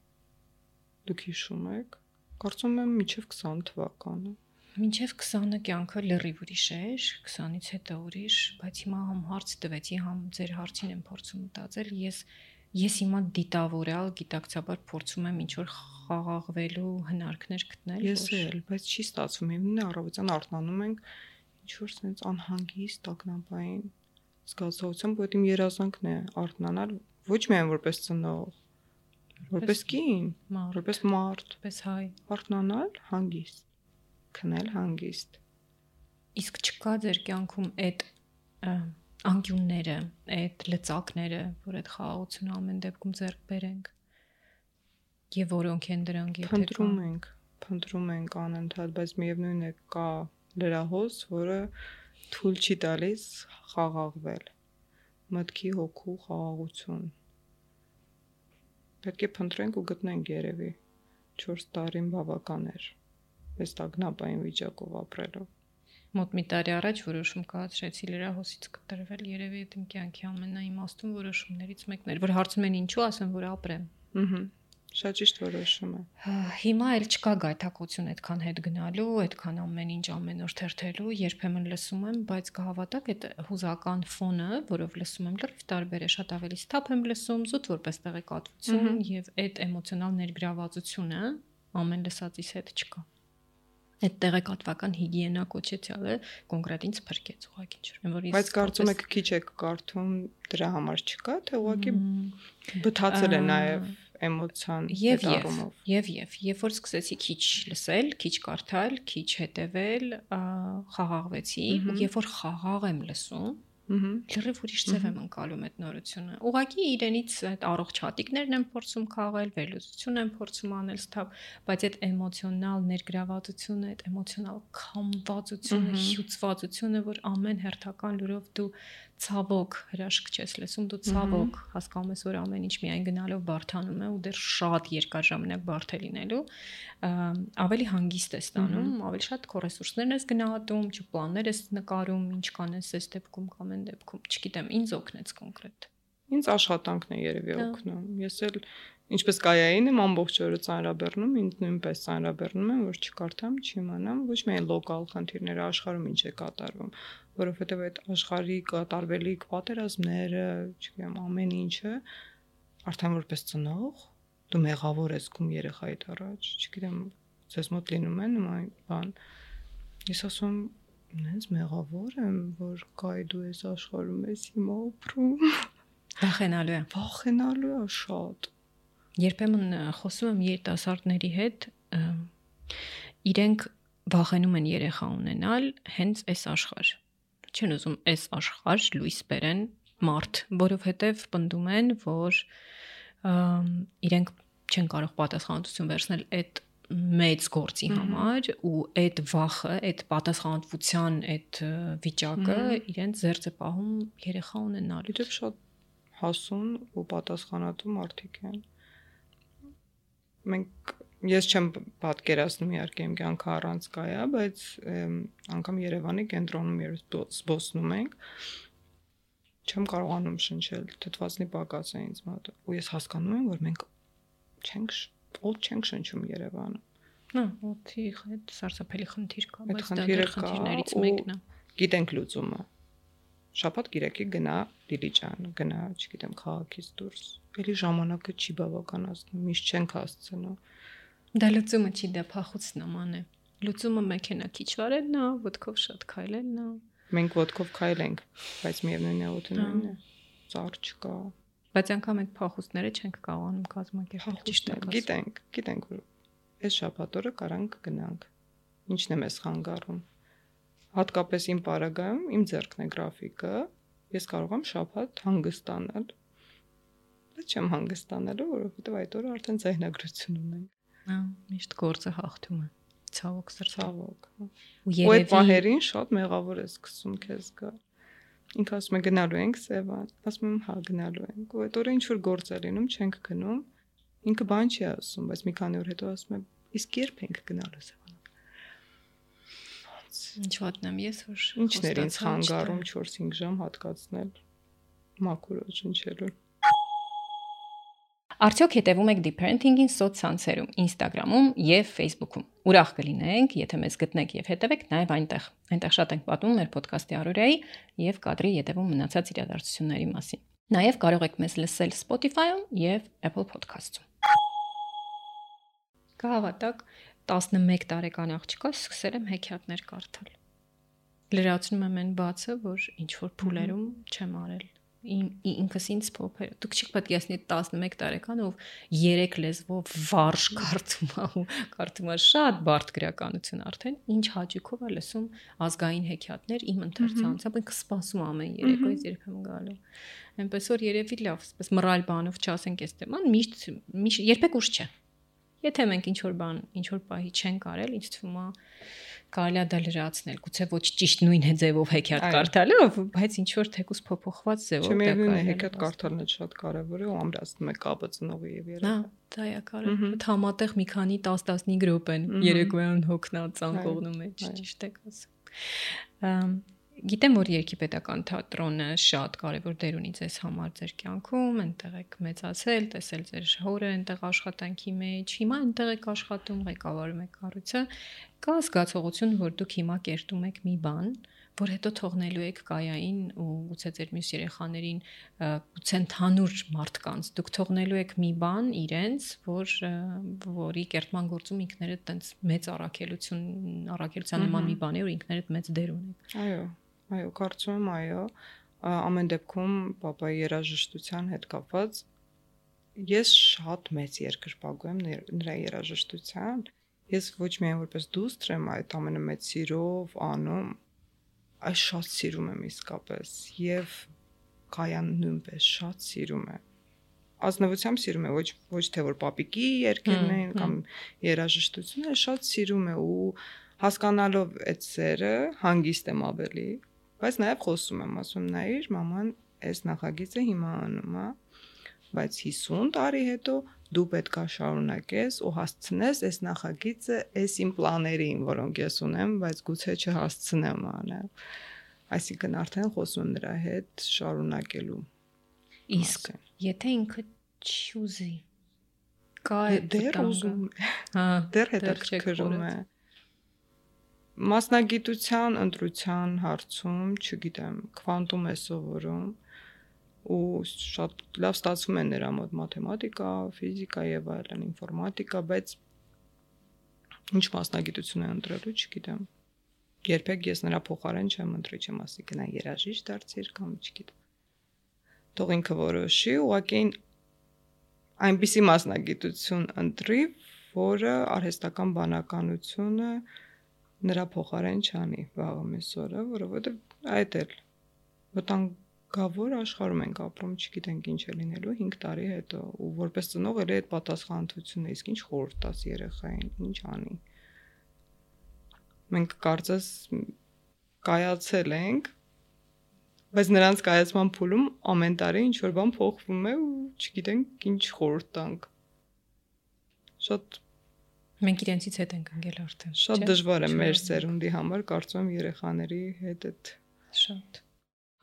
Դուք հիշում եք։ Կարծում եմ մինչև քսան թվականը։ Մինչև քսանը կյանքը լրիվ ուրիշ էր, քսանից հետո ուրիշ, բայց հիմա համ հարց տվեցի, համ ձեր հարցին եմ փորձում մտածել, ես ես հիմա դիտավորալ, գիտակցաբար փորձում եմ ինչ-որ խաղաղվելու հնարքներ գտնել, Ես էլ, բայց չի ստացվում։ Ինքն առավոտյան արթնանում ենք ինչ-որ sense անհանգիստ, տագնապային զգացողությամբ, որ իմ երազանքն է արթնանալ ոչ միայն որպես ծնող, որպես կին, որպես մարդ, որպես հայ, արթնանալ հանգիստ, քնել հանգիստ։ Իսկ չկա ձեր կյանքում այդ անկյունները, այդ լծակները, որ այդ խաղաղությունը ամեն դեպքում ձեռք բերենք, եւ որոնք են դրանք, եթե փնտրում ենք, փնտրում ենք անընդհատ, բայց միևնույն է կա լրահոս, որը թույլ չի տալիս խաղաղվել, մտքի հոգու խաղաղություն։ Պետք է փնտրենք ու գտնենք երևի չորս տարին բավական էր այս տագնապային վիճակով ապրելով։ Մոտ մի տարի առաջ որոշում կայացրեցի լրահոսից կտրվել, երևի այդ իմ կյանքի ամենաիմաստուն որոշումներից մեկն էր, որ հարցում են ինչու, ասեմ, որ ապրեմ։ Ահա, շատ ճիշտ որոշում է։ Հիմա էլ չկա գայթակղություն այդքան հետ գնալու, այդքան ամեն ինչ ամեն օր թերթելու, երբեմն լսում եմ, բայց կհավատաք, այդ հուզական ֆոնը, որով լսում եմ, լրիվ տարբեր է, շատ ավելի սթափ եմ լսում, զուտ որպես տեղեկատվություն, եւ այդ էմոցիոնալ ներգրավվածությունը ամեն լսածից հետ չկա։ Այդ տեղեկատվական հիգիենա կոչեցյալը կոնկրետ ինձ փրկեց ուղղակի ջրեմ, որ ես Բայց կարծում եք քիչ եք կարդում դրա համար չկա, թե ուղղակի բթացել է նաև էմոցիան եւ եւ եւ եւ երբ որ սկսեցի քիչ լսել, քիչ կարդալ, քիչ հետևել, խաղաղվեցի, ու երբ որ խաղաղ եմ լսում, լրիվ ուրիշ ձև եմ անցալում այդ նորությունը։ Ուղղակի իրենից այդ առողջ հատիկներն եմ փորձում քաղել, վերլուծություն եմ փորձում անել սթափ, բայց այդ էմոցիոնալ ներգրավվածությունը, այդ էմոցիոնալ քամվածությունը, հյուծվածությունը, որ ամեն հերթական լուրով դու ցավոք հրաշք չես լսում, դու ցավոք հասկանում ես, որ ամեն ինչ միայն գնալով բարթանում է ու դեռ շատ երկար ժամանակ բարդ է լինելու, ավելի հանգիստ է ստանում, ավելի շատ քո ռեսուրսներն ես գնահատում, ճուպլաններ ես նկարում, ինչ կանես այս դեպքում կամ այն դեպքում, չգիտեմ, ինձ օգնեց կոնկրետ։ Ինձ աշխատանքն է երևի օգնում։ Ես էլ ինչպես կայային եմ ամբողջ օրը ծանրաբեռնում, ինձ նույնպես ծանրաբեռնում եմ, որ չկարդամ, չիմանամ, ոչ միայն լոկալ խնդիրները, աշխարհում ինչ է կատարվում, որովհետև այդ աշխարհի կատարվելիք պատերազմները, չգիտեմ, ամեն ինչը արդեն որպես ծնող դու մեղավոր ես գում երեխայիդ առաջ, չգիտեմ, ձեզ մոտ լինում է նման բան։ Ես ասում Նենց մեղավոր եմ, որ կայ դու ես աշխարհում ես հիմա ապրում։ Վախենալու է։ Վախենալու է շատ։ Երբեմն խոսում եմ երիտասարդների հետ, իրենք վախենում են երեխա ունենալ հենց այս աշխարհ։ Չեն ուզում այս աշխարհ լույս բերեն մարդ, որովհետև պնդում են, որ իրենք չեն կարող պատասխանատվություն վերցնել այդ մեծ գործի համար ու այդ վախը, այդ պատասխանատվության այդ վիճակը իրենց ձեռք է պահում երեխա ունենալու։ Դե շատ հասուն ու պատասխանատու մարդիկ են։ Մենք ես չեմ պատկերացնում իհարկե իմ կյանքը առանց կայա, բայց անգամ Երևանի կենտրոնում երբ զբոսնում ենք, չեմ կարողանում շնչել, թթվածնի պակաս է ինձ մոտ ու ես հասկանում եմ, որ մենք չենք օդ չենք շնչում Երևանում։ Հա, օդի հետ սարսափելի խնդիր կա, բայց դա դեռ խնդիրներից մեկն է։ Գիտենք լուծումը։ Շաբաթ գիրակի գնա Դիլիջան, գնա, չգիտեմ, քաղաքից դուրս։ Էլի ժամանակը չի բավականացնում, միշտ չենք հասցնում։ Դա լուծումը չի, դա փախուց նման է։ Լուծումը մեքենա քիչ վարելն է, ոտքով շատ քայլելն է։ Մենք ոտքով քայլենք, բայց միևնույն է օդը նույնն է։ Ծառ չկա։ Բայց անգամ այդ փախուստները չենք կարողանում կազմակերպել, ճիշտ է։ Գիտենք, գիտենք, որ այս շաբաթ օրը կարանք գնանք։ Ինչն է մեզ խանգարում։ Հատկապես իմ պարագայում իմ ձեռքն է գրաֆիկը, ես կարող եմ շաբաթ հանգստանալ։ Բայց չեմ հանգստանալու, որովհետև այդ օրը արդեն ձայնագրություն ունենք։ Հա, միշտ գործը հաղթում է։ Ցավոք սրտավոք։ Ու երևի այդ պահերին շատ մեղավոր ես սկսում քեզ գալ։ Ինքը ասում է գնալու ենք Սևան, ասում եմ հա գնալու ենք։ Ու այդ օրը ինչ որ գործ է լինում, չենք գնում։ Ինքը բան չի ասում, բայց մի քանի օր հետո ասում է իսկ երբ ենք գնալու Սևան։ Ինչ ոտնեմ ես որ ինչն էր ինձ խանգարում չորս-հինգ ժամ հատկացնել մաքուր շնչելու։ Արդյոք հետևում եք Deep Parenting-ին սոցցանցերում, Instagram-ում եւ Facebook-ում։ Ուրախ կլինենք, եթե մեզ գտնեք եւ հետևեք նաեւ այնտեղ։ Այնտեղ շատ ենք պատմում մեր ոդքասթի առօրյայի եւ կադրի ետևում մնացած իրադարձությունների մասին։ Նաև կարող եք մեզ լսել Spotify-ում եւ Apple Podcast-ում։ Կհավատաք, տասնմեկ տարեկան աղջկա սկսել եմ հեքիաթներ կարդալ։ Լրացնում եմ այն բացը, որ ինչ որ փուլերում չեմ արել։ Իմ ինքս ինձ փոփեր։ Դուք չեք պետք է ասնի տասնմեկ տարեկան ով երեք լեզվով վարժ կարդում ա ու կարդում ա շատ բարդ գրականություն արդեն, ինչ հաճույքով է լսում ազգային հեքիաթներ իմ ընթերցանությամբ, ինքը սպասում ամեն երեկո ես երբեմն գալու։ Այնպես որ երևի լավ, այսպես մռայլ բանով չասենք այս թեման, միշտ միշտ երբեք ուշ չէ։ Եթե մենք ինչ որ բան, ինչ որ պահի չենք արել, ինձ թվում է կարելի է դա լրացնել, գուցե ոչ ճիշտ նույն ձևով հեքիաթ կարդալով, բայց ինչ որ թեկուս փոփոխված ձևով դա կարելի է։ Հեքիաթ կարդալն է շատ կարևոր է ու ամրացնում է կապը ծնողի եւ երեխայի։ Հա, դա է կարևոր։ Համատեղ մի քանի տասն-տասնհինգ րոպե են երեկոյան հոգնած ցանկողնու մեջ, ճիշտ եք ասում։ Գիտեմ, որ Երգիպետական թատրոնը շատ կարևոր դեր ունի ձեզ համար ձեր կյանքում, այնտեղ եք մեծացել, տեսել ձեր հորը այնտեղ աշխատանքի մեջ, հիմա այնտեղ եք աշխատում, ղեկավարում եք կառույցը, կա զգացողություն, որ դուք հիմա կերտում եք մի բան, որ հետո թողնելու եք կայային ու գուցե ձեր մյուս երեխաներին, գուցե ընդհանուր մարդկանց, դուք թողնելու եք մի բան իրենց, որ որի կերտման գործում ինքներդ տենց մեծ առաքելություն, առաքելության նման մի բան է, որ ինքներդ մեծ դեր ունեք։ Այո, այո, կարծում եմ, այո, ամեն դեպքում papayi երաժշտության հետ կապված ես շատ մեծ երկրպագու եմ նրա երաժշտության, ես ոչ միայն որպես դուստր եմ այդ ամենը մեծ սիրով անում, այս շատ սիրում եմ իսկապես եւ Կայան նույնպես շատ սիրում է։ Ազնվությամբ սիրում է, ոչ ոչ թե որ պապիկի երկերն են կամ երաժշտությունը, շատ սիրում է ու հասկանալով այդ սերը հանգիստ եմ ավելի, բայց նաեւ խոսում եմ, ասում նայիր, մաման, այս նախագիծը հիմա անում է, բայց հիսուն տարի հետո դու պետք է շարունակես ու հասցնես այս նախագիծը այս իմ պլաներին, որոնք ես ունեմ, բայց գուցե չհասցնեմ անել։ Այսինքն արդեն խոսում նրա հետ շարունակելու։ Իսկ եթե ինքը չուզի, կա դեռ ուզում է, հա, դեռ հետաքրքրում է։ Մասնագիտության ընտրության հարցում, չգիտեմ, քվանտում է սովորում ու շատ լավ ստացվում է նրա մոտ մաթեմատիկա, ֆիզիկա եւ այլն, ինֆորմատիկա, բայց ինչ մասնագիտություն է ընտրելու, չգիտեմ։ Երբեք ես նրա փոխարեն չեմ ընտրի, չեմ ասի գնա երաժիշտ դարձիր կամ չգիտեմ։ Թող ինքը որոշի, ուղղակի այնպիսի մասնագիտություն ընտրի, որը արհեստական բանականությունը նրա փոխարեն չանի վաղը միսօրը, որովհետեւ այդ էլ վտանգավոր աշխարհում ենք ապրում, չգիտենք ինչ է լինելու հինգ տարի հետո, ու որպես ծնող էլ այդ պատասխանատվությունը, իսկ ինչ խորհուրդ տաս երեխային, ինչ անի։ Մենք կարծես կայացել ենք, բայց նրանց կայացման փուլում ամեն տարի ինչ որ բան փոխվում է ու չգիտենք ինչ խորհուրդ տանք։ Շատ մենք իրենցից հետ ենք ընկել արդեն։ Շատ դժվար է մեր սերունդի համար, կարծում եմ երեխաների հետ այդ շատ։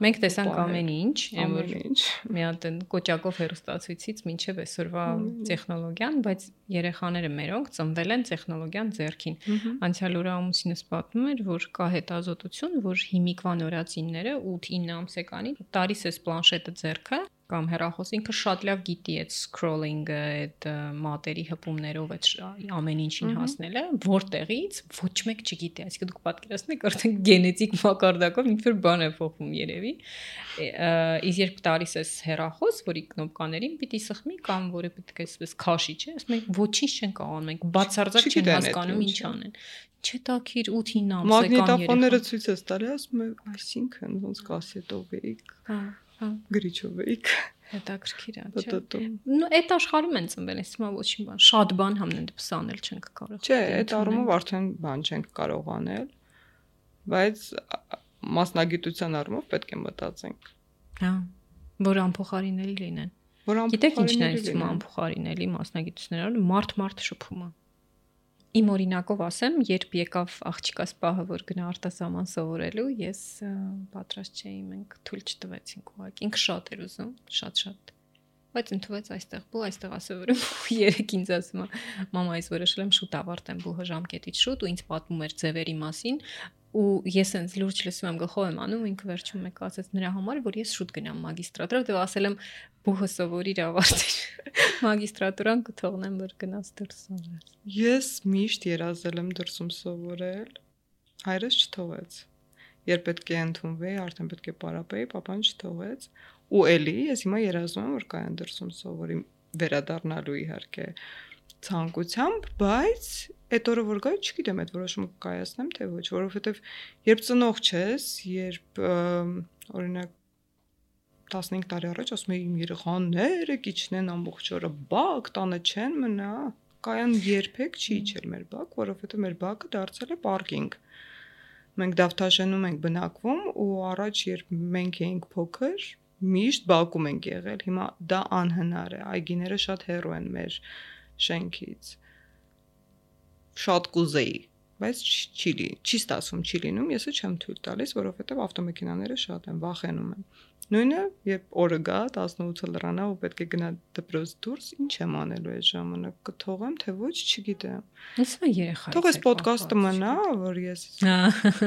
Մենք տեսանք ամեն ինչ, ամեն ինչ։ Մի հատ կոճակով հեռուստացույցից մինչև այսօրվա տեխնոլոգիան, բայց երեխաները մերոնք ծնվել են տեխնոլոգիան ձեռքին։ Անցյալ օրը ամուսինս պատմում էր, որ կա հետազոտություն, որ հիմիկվա նորածինները ութ-ինը ամսեկանի տարիս էս պլանշետը ձեռքը կամ հեռախոս ինքը շատ լավ գիտի այդ scrolling-ը, այդ մատերի հպումներով այդ ամեն ինչին հասնելը, որտեղից ոչ մեկ չգիտի, այսինքն դուք պատկերացնեք արդեն գենետիկ մակարդակով ինչ-որ բան է փոխվում երևի։ Իսկ երբ տարիս էս հեռախոս, որի կնոպկաներին պիտի սխմի կամ որը պետք է այսպես քաշի, չէ՞, ասում ենք ոչինչ չեն կարող անում, մենք բացարձակ չեն հասկանում ինչ անեն։ Չէ՞ տակիր ութ-ինը ամսեկան երեխա։ Մագնիտոֆոնները ցույց է տալի, ասում է, այսինքն ոնց կասետով էիք։ Հա, հա։ Գրիչով էիք։ Հետաքրքիր է, չէ՞։ Նու այդ աշխարհում են ծնվել, ես հիմա ոչինչ բան, շատ բան համենայնդեպս անել չենք կարող։ Չէ, այդ առումով արդեն բան չենք կարող անել, բայց մասնագիտության առումով պետք է մտածենք։ Հա, որ անփոխարինելի լինեն։ Գիտեք ինչն է ասում անփոխարինելի մասնագիտությունները, մարդ-մարդ շփում է։ Իմ օրինակով ասեմ, երբ եկավ աղջկաս պահը, որ գնա արտասահման սովորելու, ես պատրաստ չէի, մենք թույլ չտվեցինք ուղղակի։ Ինքը շատ էր ուզում, շատ-շատ։ Բայց ընդունեց այստեղ բու, այստեղ ասովորում ու երեք ինձ ասում է, մամա, այս որոշել եմ շուտ ավարտեմ բուհը ժամկետից շուտ ու ինձ պատմում էր ձևերի մասին, ու ես այնց լուրջ լսում եմ գլխով եմ անում ինքը վերջում մեկ ասեց նրա համար որ ես շուտ գնամ մագիստրատուրա դե ասել եմ բուհը սովորիր ավարտիր մագիստրատուրան կթողնեմ որ գնաս դուրս սովորես ես միշտ երազել եմ դրսում սովորել հայրս չթողեց երբ պետք է ընդունվեի արդեն պետք է պարապեի papan չթողեց ու էլի ես հիմա երազում եմ որ կայան դրսում սովորիմ վերադառնալու իհարկե ցանկությամբ բայց այդ օրը որ գայի չգիտեմ այդ որոշումը կայացնեմ թե ոչ որովհետև երբ ծնող չես երբ օրինակ տասնհինգ տարի առաջ ասում էի իմ երեխաները կիչնեն ամբողջ օրը բակ տանը չեն մնա կայան երբեք չի իջել մեր բակ որովհետև մեր բակը դարձել է պարկինգ մենք Դավթաշենում ենք բնակվում ու առաջ երբ մենք էինք փոքր միշտ բակում ենք եղել հիմա դա անհնար է այգիները շատ հեռու են մեր շենքից շատ կուզեի բայց չի լի չի ստացվում չի լինում եսը չեմ թույլ տալիս որովհետև ավտոմեքենաները շատ են վախենում եմ նույնը երբ օրը գա տասնութը լրանա ու պետք է գնա դպրոց դուրս ինչ եմ անելու այդ ժամանակ կթողեմ թե ոչ չգիտեմ ուսը երեխա թող էս ոդկասթը մնա որ ես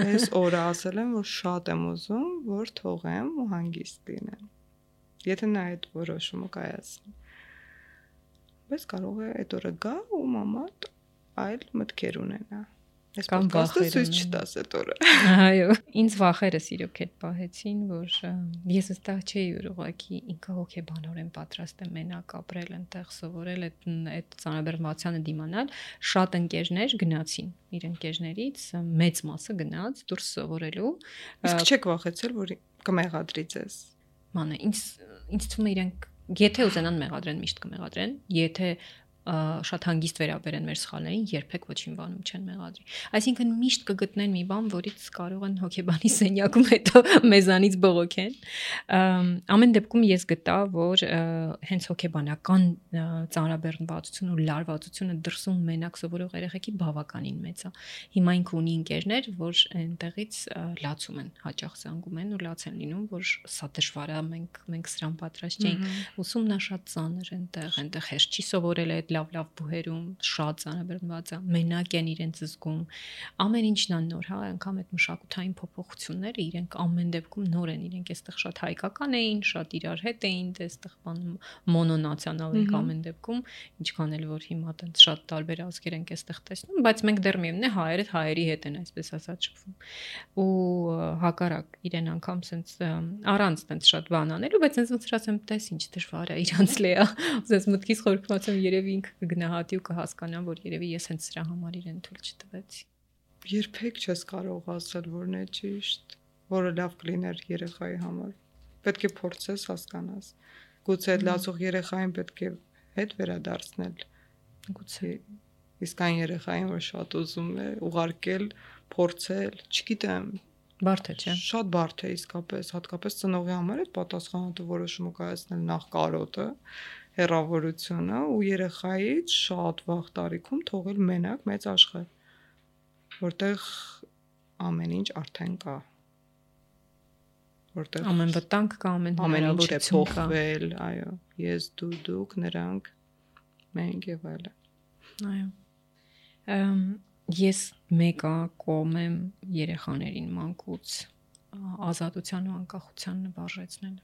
այս օրը ասել եմ որ շատ եմ ուզում որ թողեմ ու հանգիստ լինեմ եթե նա այդ որոշումը կայացնի բայց կարող է այդ օրը գա ու մամատ այլ մտքեր ունենա Ես ոդկասթը ցույց չտաս այդ օրը այո ինձ վախերս իրոք այդ պահեցին որ ես այստեղ չէի ուղղակի ինքը հոգեբանորեն պատրաստ եմ մենակ ապրել այնտեղ սովորել այդ այդ ծանրաբեռնվածությանը դիմանալ շատ ընկերներ գնացին իր ընկերներից մեծ մասը գնաց դուրս սովորելու իսկ չեք վախեցել որ կմեղադրի ձեզ մանա ինձ ինձ թվում է իրենք եթե ուզենան մեղադրեն միշտ կմեղադրեն եթե շատ հանգիստ վերաբերեն մեր սխալներին, երբեք ոչինչ բանում չեն մեղադրի։ Այսինքն միշտ կգտնեն մի բան, որից կարող են հոգեբանի սենյակում հետո մեզանից բողոքեն։ Ամեն դեպքում ես գտա, որ հենց հոգեբանական ծանրաբեռնվածությունը ու լարվածությունը դրսում մենակ սովորող երեխեքի բավականին մեծ է։ Հիմա ինքը ունի ընկերներ, որ այնտեղից լացում են, հաճախ զանգում են ու լաց են լինում, որ սա դժվար է, մենք մենք սրան պատրաստ չենք։ Ուսումն է շատ ծանր այնտեղ, այնտեղ հեշտ չի սովորել այդ լավ-լավ բուհերում շատ ծանրաբեռնված է, մենակ են իրենց զգում։ Ամեն ինչն է նոր, հա, անգամ այդ մշակութային փոփոխությունները իրենք ամեն դեպքում նոր են, իրենք այստեղ շատ հայկական էին, շատ իրար հետ էին, այստեղ բան մոնոնացիոնալ են ամեն դեպքում, ինչքան էլ որ հիմա տենց շատ տարբեր ազգեր ենք այստեղ տեսնում, բայց մենք դեռ միևնույն է հայերը հայերի հետ են այսպես ասած շփվում։ Ու հակառակ իրեն անգամ սենց առանց տենց շատ բան անելու, բայց սենց ոնց ասեմ, տես ինչ դժվար է իրանց լեա։ Սենց մտքից խորքվածում երևի ինքը կգնահատի ու կհասկանա, որ երևի ես հենց սրա համար իրեն թույլ չտվեցի։ Երբեք չես կարող ասել, որն է ճիշտ, որը լավ կլիներ երեխայի համար։ Պետք է փորձես հասկանաս։ Գուցե այդ լացող երեխային պետք է հետ վերադարձնել։ Գուցե իսկ այն երեխային, որ շատ ուզում է ուղարկել, փորձել, չգիտեմ, բարդ է, չէ՞։ Շատ բարդ է իսկապես, հատկապես ծնողի համար այդ պատասխանատու որոշումը կայացնել նախ կարոտը, հեռավորությունը ու երեխայից շատ վաղ տարիքում թողել մենակ մեծ աշխարհ, որտեղ ամեն ինչ արդեն կա, որտեղ ամեն վտանգ կա, ամեն հնարավորություն կա, փոխվել, այո, ես դու դուք նրանք մենք եւ այլն։ Այո։ Ամ ես մեկը կողմ եմ երեխաներին մանկուց ազատության ու անկախության նվարժեցնել։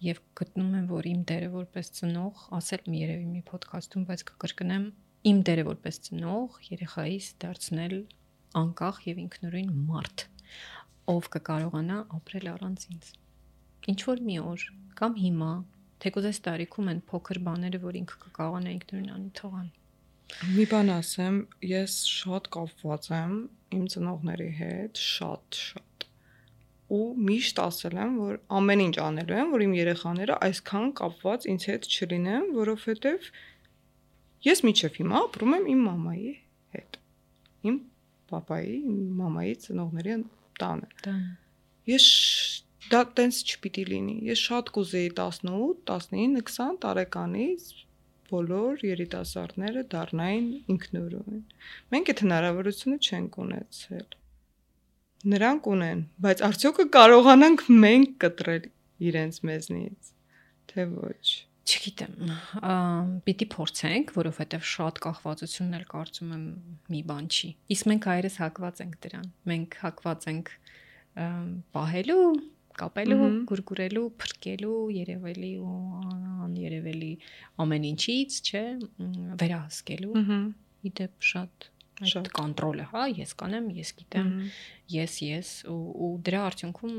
Եվ գտնում եմ, որ իմ դերը որպես ծնող, ասել եմ երևի մի ոդքասթում, բայց կկրկնեմ, իմ դերը որպես ծնող երեխայիս դարձնել անկախ եւ ինքնուրույն մարդ, ով կկարողանա ապրել առանց ինձ։ Ինչ որ մի օր կամ հիմա, թեկուզ այս տարիքում են փոքր բաները, որ ինքը կկարողանա ինքնուրույն անի թողան։ Մի բան ասեմ, ես շատ կապված եմ իմ ծնողների հետ, շատ շատ։ Ու միշտ ասել եմ, որ ամեն ինչ անելու եմ, որ իմ երեխաները այսքան կապված ինձ հետ չլինեն, որովհետև ես միջև հիմա ապրում եմ իմ մամայի հետ։ Իմ պապայի, իմ մամայի ծնողների տանը։ Ես դա տենց չպիտի լինի։ Ես շատ կուզեի տասնութ, տասնինը, քսան տարեկանից բոլոր երիտասարդները դառնային ինքնուրույն։ Մենք այդ հնարավորությունը չենք ունեցել։ Նրանք ունեն, բայց արդյոք կարողանանք մենք կտրել իրենց մեզնից, թե ոչ։ Չգիտեմ, պիտի փորձենք, որովհետև շատ կախվածությունն էլ կարծում եմ մի բան չի։ Իսկ մենք հայերս հակված ենք դրան։ Մենք հակված ենք պահելու, կապելու, գուրգուրելու, փրկելու, երևելի ու աներևելի ամեն ինչից, չէ, վերահսկելու։ Իդեպ շատ այդ կոնտրոլը, հա, ես կանեմ, ես գիտեմ, ես, ես ու դրա արդյունքում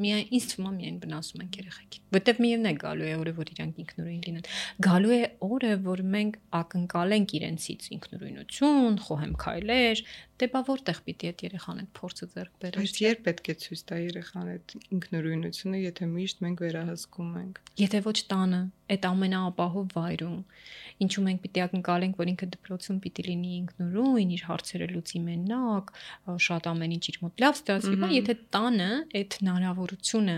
միայն ինձ թվում է միայն վնասում ենք երեխեքին։ Որտեվ միևն է գալու է օրը, որ իրանք ինքնուրույն լինեն։ Գալու է օրը, որ մենք ակնկալենք իրենցից ինքնուրույնություն, խոհեմ քայլեր, դե բա որտեղ պիտի այդ երեխան այդ փորձը ձեռք բերի։ Բայց երբ պետք է ցույց տա երեխան այդ ինքնուրույնությունը, եթե միշտ մենք վերահսկում ենք։ Եթե ոչ տանը, այդ ամենաապահով վայրում, ինչու մենք պիտի ակնկալենք, որ ինքը դպրոցում պիտի լինի ինքնուրույն, իր հարցերը լուծի մենակ, շատ ամեն ինչ իր մոտ լավ ստացվի, բայց եթե տանը այդ հնարավորությունը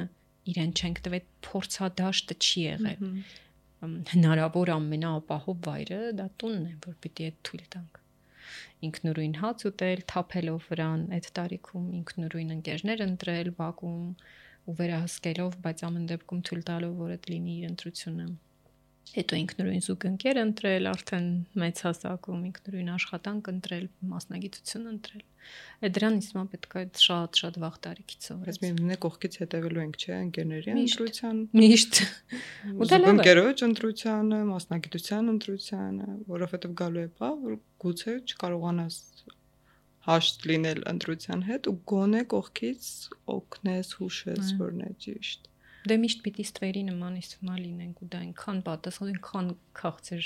իրեն չենք տվել, փորձադաշտը չի եղել։ Հնարավոր ամենաապահով վայրը դա տունն է, որ պիտի այդ թույլ տանք։ Ինքնուրույն հաց ուտել, թափելով վրան, այդ տարիքում ինքնուրույն ընկերներ ընտրել, բակում ու վերահսկելով, բայց ամեն դեպքում թույլ տալով, որ այդ լինի իր ընտրությունը։ Հետո ինքնուրույն զուգընկեր ընտրել, արդեն մեծ հասակում ինքնուրույն աշխատանք ընտրել, մասնագիտություն ընտրել։ Այդ դրան իսկական պետք է շատ-շատ վաղ տարիքից սովորել։ Բայց միևնույն է կողքից հետևելու ենք, չէ, ընկերների ընտրության։ Միշտ։ Ու դա լավ է։ Ընկերոջ ընտրությանը, մասնագիտության ընտրությանը, որովհետև գալու է բա, որ գուցե չկարողանաս հաշտ լինել ընտրության հետ ու գոնե կողքից օգնես, հուշես, որն է ճիշտ։ Դե միշտ պիտի ստվերի նման իստվա լինենք ու դա այնքան պատասխան, այնքան քաղցր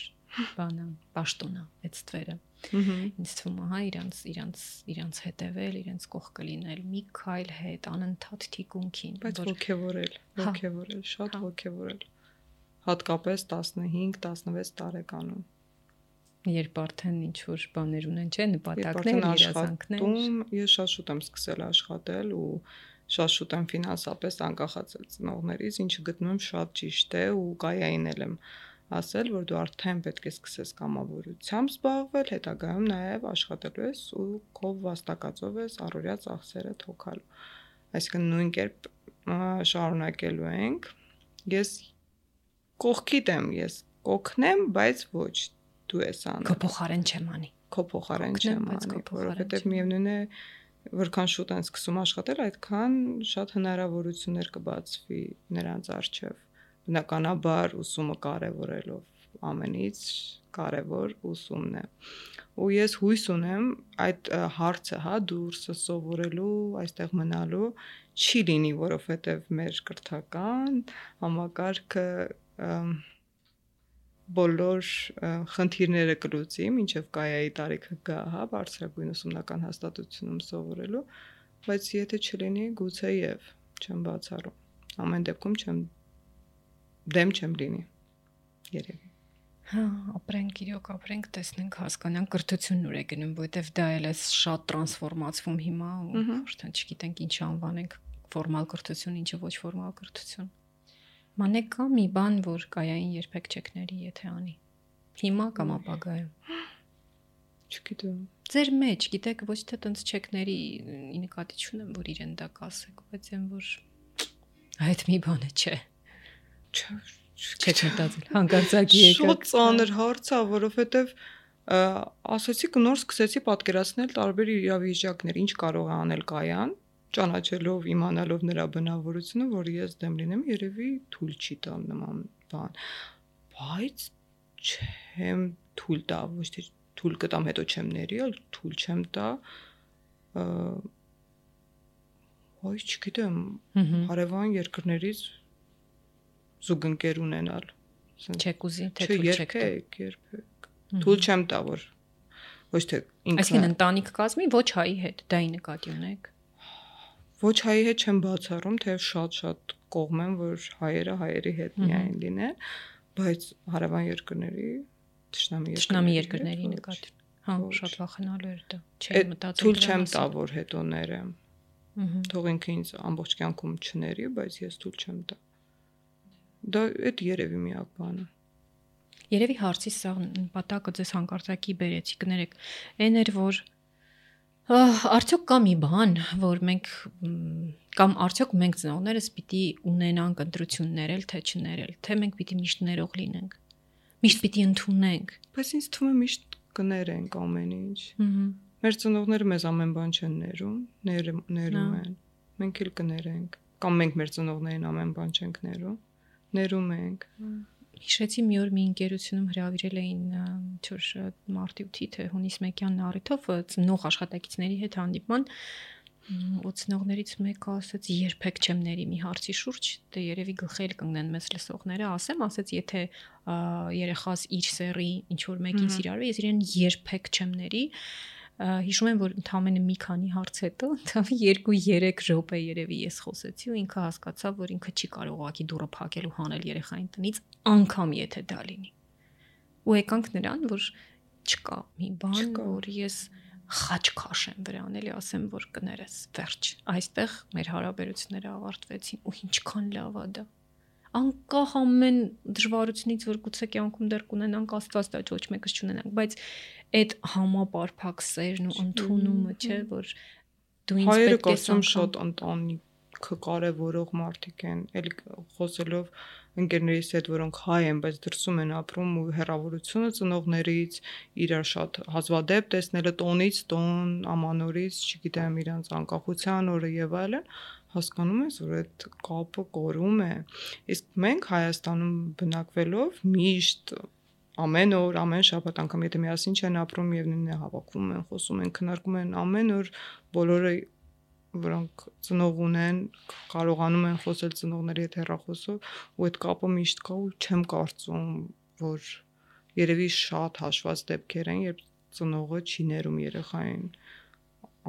բանա, պաշտոնա այդ ստվերը։ Ինձ թվում է, հա, իրանց իրանց իրանց հետևել, իրենց կողքը լինել, մի քայլ հետ անընդհատ թիկունքին, բայց ոգևորել, ոգևորել, շատ ոգևորել։ Հատկապես տասնհինգ տասնվեց տարեկանում։ Երբ արդեն ինչ որ բաներ ունեն, չէ, նպատակներ, երազանքներ։ Ես շատ շուտ եմ սկսել աշխատել ու շատ շուտ եմ ֆինանսապես անկախացել ծնողներից, ինչը գտնում եմ շատ ճիշտ է ու կայային եմ ասել, որ դու արդեն պետք է սկսես կամավորությամբ զբաղվել, հետագայում նաև աշխատելու ես ու քո վաստակածով ես առօրյա ծախսերը թոքալու։ Այսինքն նույն կերպ շարունակելու ենք։ Ես կողքիդ եմ, ես կօգնեմ, բայց ոչ դու ես անում։ Քո փոխարեն չեմ անի։ Քո փոխարեն չեմ անի, որովհետև միևնույն է որքան շուտ են սկսում աշխատել, այդքան շատ հնարավորություններ կբացվի նրանց առջև։ Բնականաբար ուսումը կարևորելով ամենից կարևոր ուսումն է։ Ու ես հույս ունեմ այդ հարցը, հա, դուրսը սովորելու, այստեղ մնալու չի լինի, որովհետև մեր կրթական համակարգը բոլոր խնդիրները կլուծի, մինչև կայայի տարիքը գա, հա, բարձրագույն ուսումնական հաստատությունում սովորելու, բայց եթե չլինի, գուցե եւ չեմ բացառում։ Ամեն դեպքում չեմ դեմ չեմ լինի։ Երևի։ Հա, ապրենք, իրոք ապրենք, տեսնենք, հասկանանք կրթությունն ուր է գնում, որովհետև դա էլ է շատ տրանսֆորմացվում հիմա ու արդեն չգիտենք ինչ անվանենք, ֆորմալ կրթություն, ինչը ոչ ֆորմալ կրթություն։ Մանե կա մի բան, որ կայային երբեք չեկների, եթե անի։ Հիմա կամ ապագայում։ Չգիտեմ։ Ձեր մեջ, գիտեք, ոչ թե տենց չեկների նկատի չունեմ, որ իրեն դա կասեք, բայց այն որ այդ մի բանը չէ։ Չեք մտածել, հանկարծակի եկա։ Շատ ծանր հարց է, որովհետև ասացի նոր սկսեցի պատկերացնել տարբեր իրավիճակներ, ինչ կարող է անել կայան, ճանաչելով, իմանալով նրա բնավորությունը, որ ես դեմ լինեմ, երևի թույլ չի տա նման բան։ Բայց չեմ թույլ տա, ոչ թե թույլ կտամ, հետո չեմ ների, այլ թույլ չեմ տա։ Ոյ, չգիտեմ, հարևան երկրներից զուգընկեր ունենալ։ Չեք ուզի, թե թույլ չեք տա։ Երբեք, երբեք։ Թույլ չեմ տա, որ ոչ թե ինքը։ Այսինքն ընտանիք կազմի ոչ հայի հետ, դա ի նկատի ունեք։ Ոչ հայի հետ չեմ բացառում, թեև շատ-շատ կողմ եմ, որ հայերը հայերի հետ միայն լինեն, բայց հարևան երկրների, թշնամի երկրների նկատի։ Հա, շատ վախենալու էր դա։ Չէի մտածել։ Թույլ չեմ տա, որ հետո ներեմ։ Թող ինքը ինձ ամբողջ կյանքում չների, բայց ես թույլ չեմ տա։ Դա այդ երևի միակ բանը։ Երևի հարցի սա նպատակը ձեզ հանկարծակի բերեցի, կներեք։ Այն էր, որ Արդյոք կա մի բան, որ մենք կամ արդյոք մենք ծնողներս պիտի ունենանք ընտրություններ էլ թե չներել, թե մենք պիտի միշտ ներող լինենք, միշտ պիտի ընդունենք։ Բայց ինձ թվում է միշտ կներենք ամեն ինչ։ Մեր ծնողները մեզ ամեն բան չեն ներում, ներում են։ Մենք էլ կներենք, կամ մենք մեր ծնողներին ամեն բան չենք ներում, ներում ենք։ Հիշեցի մի օր մի ընկերությունում հրավիրել էին ինչ-որ մարտի ութի թե հունիս մեկյան առիթով ծնող աշխատակիցների հետ հանդիպման, ու ծնողներից մեկը ասաց երբեք չեմ ների մի հարցի շուրջ, դե երևի գլխել կընկնեն մեզ լսողները, ասեմ, ասաց եթե երեխաս իր սեռի ինչ որ մեկին սիրարվի, ես իրեն երբեք չեմ ների։ Հիշում եմ, որ ընդամենը մի քանի հարց հետո, երկու երեք րոպե երևի ես խոսեցի ու ինքը հասկացավ, որ ինքը չի կարող ուղղակի դուռը փակել ու հանել երեխային տնից, անգամ եթե դա լինի։ Ու եկանք նրան, որ չկա մի բան, որ ես խաչ քաշեմ վրան, էլի ասեմ, որ կներես, վերջ։ Այստեղ մեր հարաբերությունները ավարտվեցին ու ինչքան լավ է դա։ Անկախ ամեն դժվարությունից, որ գուցե կյանքում դեռ կունենանք, Աստված դա ոչ մեկս չունենանք, բայց այդ համապարփակ սերն ու ընդունումը, չէ, որ դու ինձ պետք է ասում շատ ընտանիքը կարևորող մարդիկ են, էլի խոսելով ընկերներիս հետ, որոնք հայ են, բայց դրսում են ապրում ու հեռավորությունը ծնողներից, իրար շատ հազվադեպ տեսնելը տոնից տոն, ամանորից, չգիտեմ, իրանց անկախության օրը եւ այլն, հասկանում ես, որ այդ կապը կորում է։ Իսկ մենք Հայաստանում բնակվելով միշտ ամեն օր, ամեն շաբաթ անգամ եթե միասին չեն ապրում եւ նույնն է հավաքվում են, խոսում են, քննարկում են ամեն օր, բոլորը որոնք ծնող ունեն, կարողանում են խոսել ծնողների հետ հեռախոսով, ու այդ կապը միշտ կա ու չեմ կարծում, որ երևի շատ հաշված դեպքեր են, երբ ծնողը չի ներում երեխային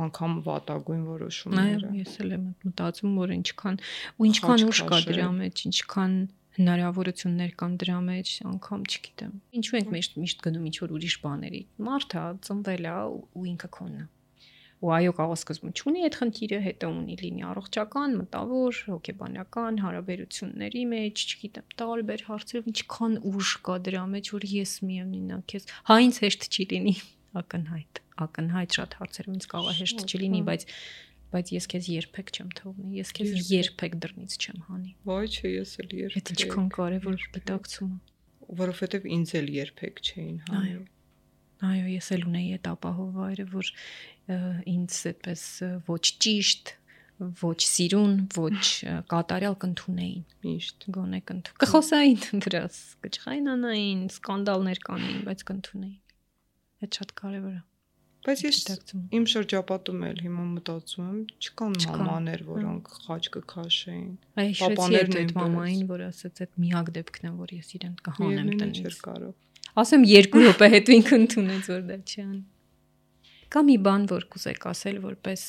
անգամ վատագույն որոշումները։ Այո, ես էլ եմ մտածում, որ ինչքան ու ինչքան ուժ կա դրա մեջ, ինչքան հնարավորություններ կան դրա մեջ, անգամ չգիտեմ։ Ինչու ենք միշտ միշտ գնում ինչ որ ուրիշ բաների։ Մարդը ծնվել է ու ինքը քոնն է։ Ու այո, կարող սկզբում չունի այդ խնդիրը, հետո ունի լինի առողջական, մտավոր, հոգեբանական հարաբերությունների մեջ, չգիտեմ, տարբեր հարցերով ինչքան ուժ կա դրա մեջ, որ ես միևնույնն է քեզ հա ինձ հեշտ չի լինի, ակնհայտ, ակնհայտ շատ հարցերով ինձ կարող է հեշտ չլինի, բայց բայց ես քեզ երբեք չեմ թողնի, ես քեզ երբեք դռնից չեմ հանի։ Ոչ, ես էլ երբեք։ Այդ ինչքան կարևոր գիտակցում է, որովհետև ինձ էլ երբեք չէին հանի։ Այո, ես էլ ունեի այդ ապահով վայրը, որ ինձ այդպես ոչ ճիշտ, ոչ սիրուն, ոչ կատարյալ կընդունեին։ Միշտ գոնե կընդուն։ Կխոսային դրաս, կճղայնանային, սկանդալներ կանեին, բայց կընդունեին։ Այդ շատ կարևոր է։ Բայց ես իմ շրջապատում էլ հիմա մտածում եմ, չկան մամաներ, որոնք խաչ կքաշեին։ Պապաներն այդ մամային, որ ասաց, այդ միակ դեպքն է, որ ես իրեն կհանեմ տնից։ Չէր կարող։ Ասեմ երկու րոպե հետո ինքը ընդունեց, որ դա չի անի։ Կա մի բան, որ կուզեք ասել որպես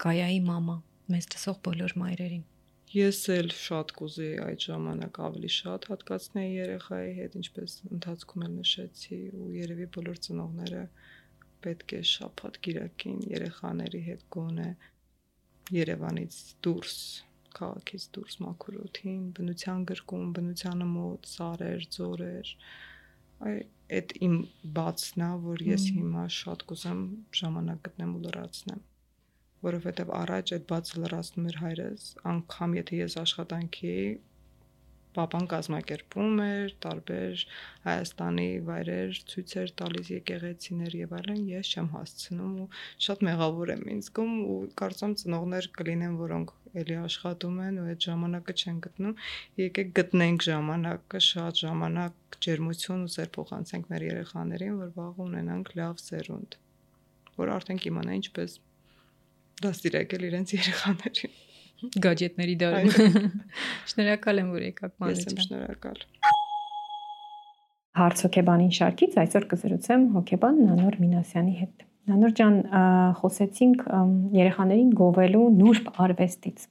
Գայայի մամա, մեզ լսող բոլոր մայրերին։ Ես էլ շատ կուզեի այդ ժամանակ ավելի շատ հատկացնել երեխայի հետ, ինչպես ընթացքում էլ նշեցի, ու երևի բոլոր ծնողները պետք է շաբաթ կիրակին երեխաների հետ գոնե Երևանից դուրս, քաղաքից դուրս մաքուր օդին, բնության գրկում, բնությանը մոտ, սարեր, ձորեր։ Այդ իմ բացն է, որ ես հիմա շատ կուզեմ ժամանակ գտնեմ ու լրացնեմ, որովհետև առաջ այդ բացը լրացնում էր հայրս, անգամ եթե ես աշխատանքի էի, պապան կազմակերպում էր տարբեր Հայաստանի վայրեր, ցույցեր տալիս, եկեղեցիներ եւ այլն, ես չեմ հասցնում ու շատ մեղավոր եմ ինձ զգում ու կարծում ծնողներ կլինեն, որոնք էլի աշխատում են ու այդ ժամանակը չեն գտնում, եկեք գտնենք ժամանակը, շատ ժամանակ ջերմություն ու սեր փոխանցենք մեր երեխաներին, որ վաղ ունենանք լավ սերունդ, որ արդեն կիմանա ինչպես դաստիարակել իրենց երեխաներին։ Գաջետների դարում։ Շնորհակալ եմ, որ եկաք մանեջան։ Ես եմ շնորհակալ։ Հարց հոգեբանին շարքից այսօր կզրուցեմ հոգեբան Նանոր Մինասյանի հետ։ Նանոր ջան, խոսեցինք երեխաներին գովելու նուրբ արվեստից։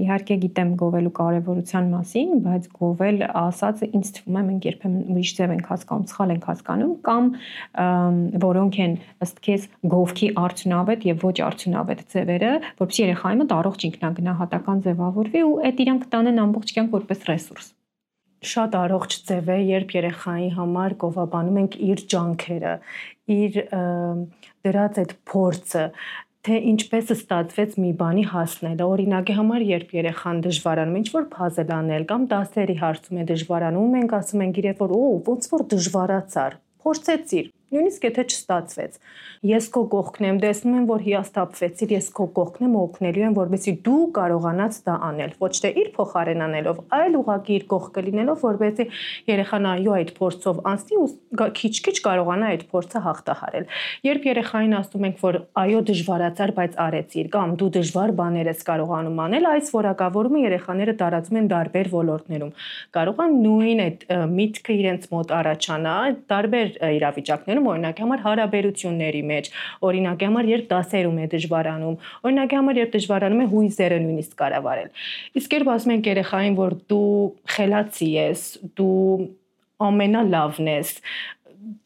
Իհարկե գիտեմ գովելու կարևորության մասին, բայց գովել ասածը ինձ թվում է մենք երբեմն ուրիշ ձև ենք հասկանում, սխալ ենք հասկանում, կամ որոնք են ըստ քեզ գովքի արդյունավետ եւ ոչ արդյունավետ ձևերը, որովհետեւ երեխայի մոտ առողջ ինքնագնահատական ձևավորվի ու այդ իրան կտանեն ամբողջ կյանք որպես ռեսուրս։ Շատ առողջ ձև է, երբ երեխայի համար գովաբանում ենք իր ջանքերը, իր դրած այդ փորձը, թե ինչպես ստացվեց մի բանի հասնելը։ Օրինակի համար, երբ երեխան դժվարանում է ինչ-որ puzzle անել կամ դասերի հարցում է դժվարանում, մենք ասում ենք իրեն, որ օ, ոնց որ դժվարացար, փորձեցիր, նույնիսկ եթե չստացվեց։ Ես քո կողքն եմ, տեսնում եմ, որ հիասթափվեցիր, ես քո կողքն եմ, օգնելու եմ, որպեսզի դու կարողանաս դա անել, ոչ թե իր փոխարեն անելով, այլ ուղղակի իր կողքը լինելով, որպեսզի երեխան այո այդ փորձով անցնի ու քիչ-քիչ կարողանա այդ փորձը հաղթահարել։ Երբ երեխային ասում ենք, որ այո դժվարացար, բայց արեցիր, կամ դու դժվար բաներ ես կարողանում անել, այս որակավորումը երեխաները տարածում են տարբեր ոլորտներում։ Կարող է նույն այդ միտքը իրենց մոտ առաջանա տարբեր իրավիճակներում, օրինակի համար հարաբերությունների մեջ, օրինակի համար երբ դասերում է դժվարանում, օրինակի համար երբ դժվարանում է հույզերը նույնիսկ կառավարել։ Իսկ երբ ասում ենք երեխային, որ դու խելացի ես, դու ամենալավն ես,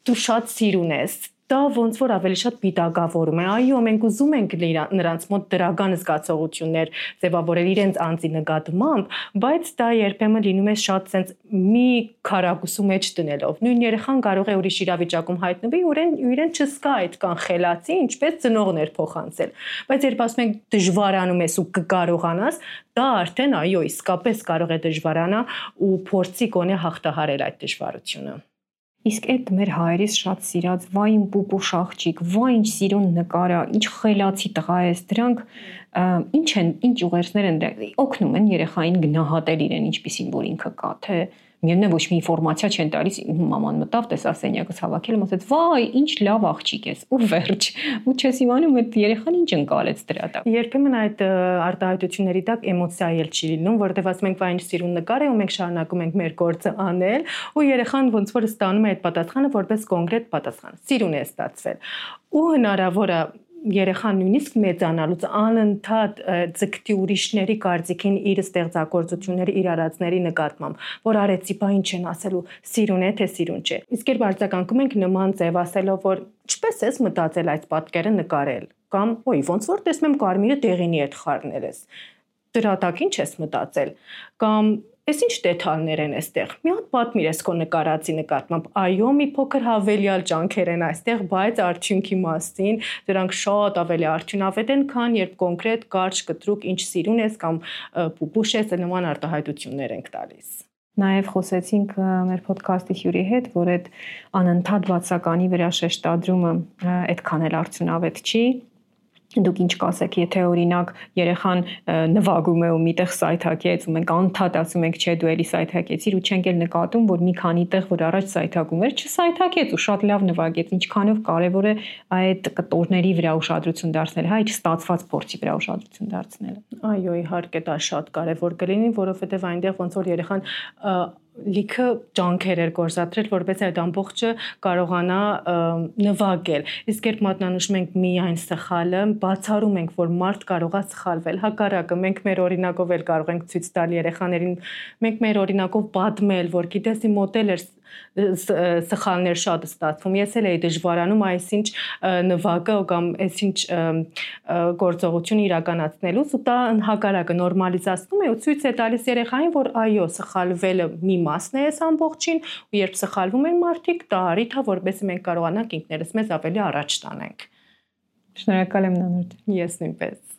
դու շատ սիրուն ես, դա ոնց որ ավելի շատ պիտակավորում է։ Այո, մենք ուզում ենք նրանց մոտ դրական զգացողություններ ձևավորել իրենց անձի նկատմամբ, բայց դա երբեմն լինում է շատ sense մի քարակուսու մեջ դնելով։ Նույն երեխան կարող է ուրիշ իրավիճակում հայտնվի, ուրեն իրեն չզգա այդքան խելացի, ինչպես ծնողներ փոխանցել։ Բայց երբ ասում ենք դժվարանում ես ու կկարողանաս, դա արդեն այո, իսկապես կարող է դժվարանա ու փորձի գոնե հաղթահարել այդ դժվարությունը։ Իսկ այդ մեր հայերիս շատ սիրած վայն պուպուշ աղջիկ, վայ ինչ սիրուն նկարա, ինչ խելացի տղա ես, դրանք ինչ են, ինչ ուղերձներ են օգնում են երեխային գնահատել իրեն ինչպիսին որ ինքը կա, թե միևնույն է ոչ մի ինֆորմացիա չեն տալիս, մաման մտավ, տեսա սենյակս հավաքել, ասաց վայ ինչ լավ աղջիկ ես, ու վերջ, ու չես իմանում այդ երեխան ինչ ընկալեց դրա տակ։ Երբեմն այդ արտահայտությունների տակ էմոցիա էլ չի լինում, որտեղ ասում ենք վայ ինչ սիրուն նկար է ու մենք շարունակում ենք մեր գործը անել, ու երեխան ոնց որ ստանում է այդ պատասխանը որպես կոնկրետ պատասխան։ Սիրուն է ստացվել։ Ու հնարավոր է երեխան նույնիսկ մեծանալուց անընդհատ ձգտի ուրիշների կարծիքին իր ստեղծագործությունների իր արածների նկատմամբ, որ արեցի, բա ինչ են ասելու, սիրուն է թե սիրուն չէ։ Իսկ երբ արձագանքում ենք նման ձև ասելով, որ ինչպես ես մտածել այդ պատկերը նկարել, կամ ոյ ոնց որ տեսնում եմ կարմիրը դեղինի հետ խառնել ես, դրա տակ ինչ ես մտածել, կամ Ես ինչ դետալներ են այստեղ։ Մի հատ պատմիր ես քո նկարածի նկատմամբ։ Այո, մի փոքր հավելյալ ջանքեր են այստեղ, բայց արդյունքի մասին դրանք շատ ավելի արդյունավետ են, քան երբ կոնկրետ կարճ կտրուկ ինչ սիրուն ես կամ պուպուշ ես, նման արտահայտություններ ենք տալիս։ Նաև խոսեցինք մեր ոդքասթի հյուրի հետ, որ այդ անընդհատ բացականի վրա շեշտադրումը այդքան էլ արդյունավետ չի։ Դուք ինչ կասեք, եթե օրինակ երեխան նվագում է ու միտեղ սայթակեց ու մենք անդադ ասում ենք, չէ, դու էլի սայթակեցիր ու չենք էլ նկատում, որ մի քանի տեղ, որ առաջ սայթակում էր, չսայթակեց ու շատ լավ նվագեց, ինչքանով կարևոր է այդ կտորների վրա ուշադրություն դարձնել, հա, չստացված փորձի վրա ուշադրություն դարձնելը։ Այո, իհարկե դա շատ կարևոր կլինի, որովհետև այնտեղ ոնց որ երեխան լիքը ջանքեր էր գործադրել, որպես այդ ամբողջը կարողանա նվագել։ Իսկ երբ մատնանշում ենք միայն սխալը, բացառում ենք, որ մարդ կարող է սխալվել։ Հակառակը, մենք մեր օրինակով էլ կարող ենք ցույց տալ երեխաներին, մենք մեր օրինակով պատմել, որ գիտես իմ մոտ էլ էր սխալներ շատ ստացվում։ Ես էլ էի դժվարանում այսինչ նվագը կամ այսինչ գործողություն իրականացնելուց ու դա հակառակը նորմալիզացնում է ու ցույց է տալիս երեխային, որ այո, սխալվելը մի մասն է այս ամբողջին ու երբ սխալվում են մարդիկ, դա առիթ է, որովհետեւ մենք կարողանանք ինքներս մեզ ավելի առաջ տանենք։ Շնորհակալ եմ Նանորդ։ Ես նույնպես։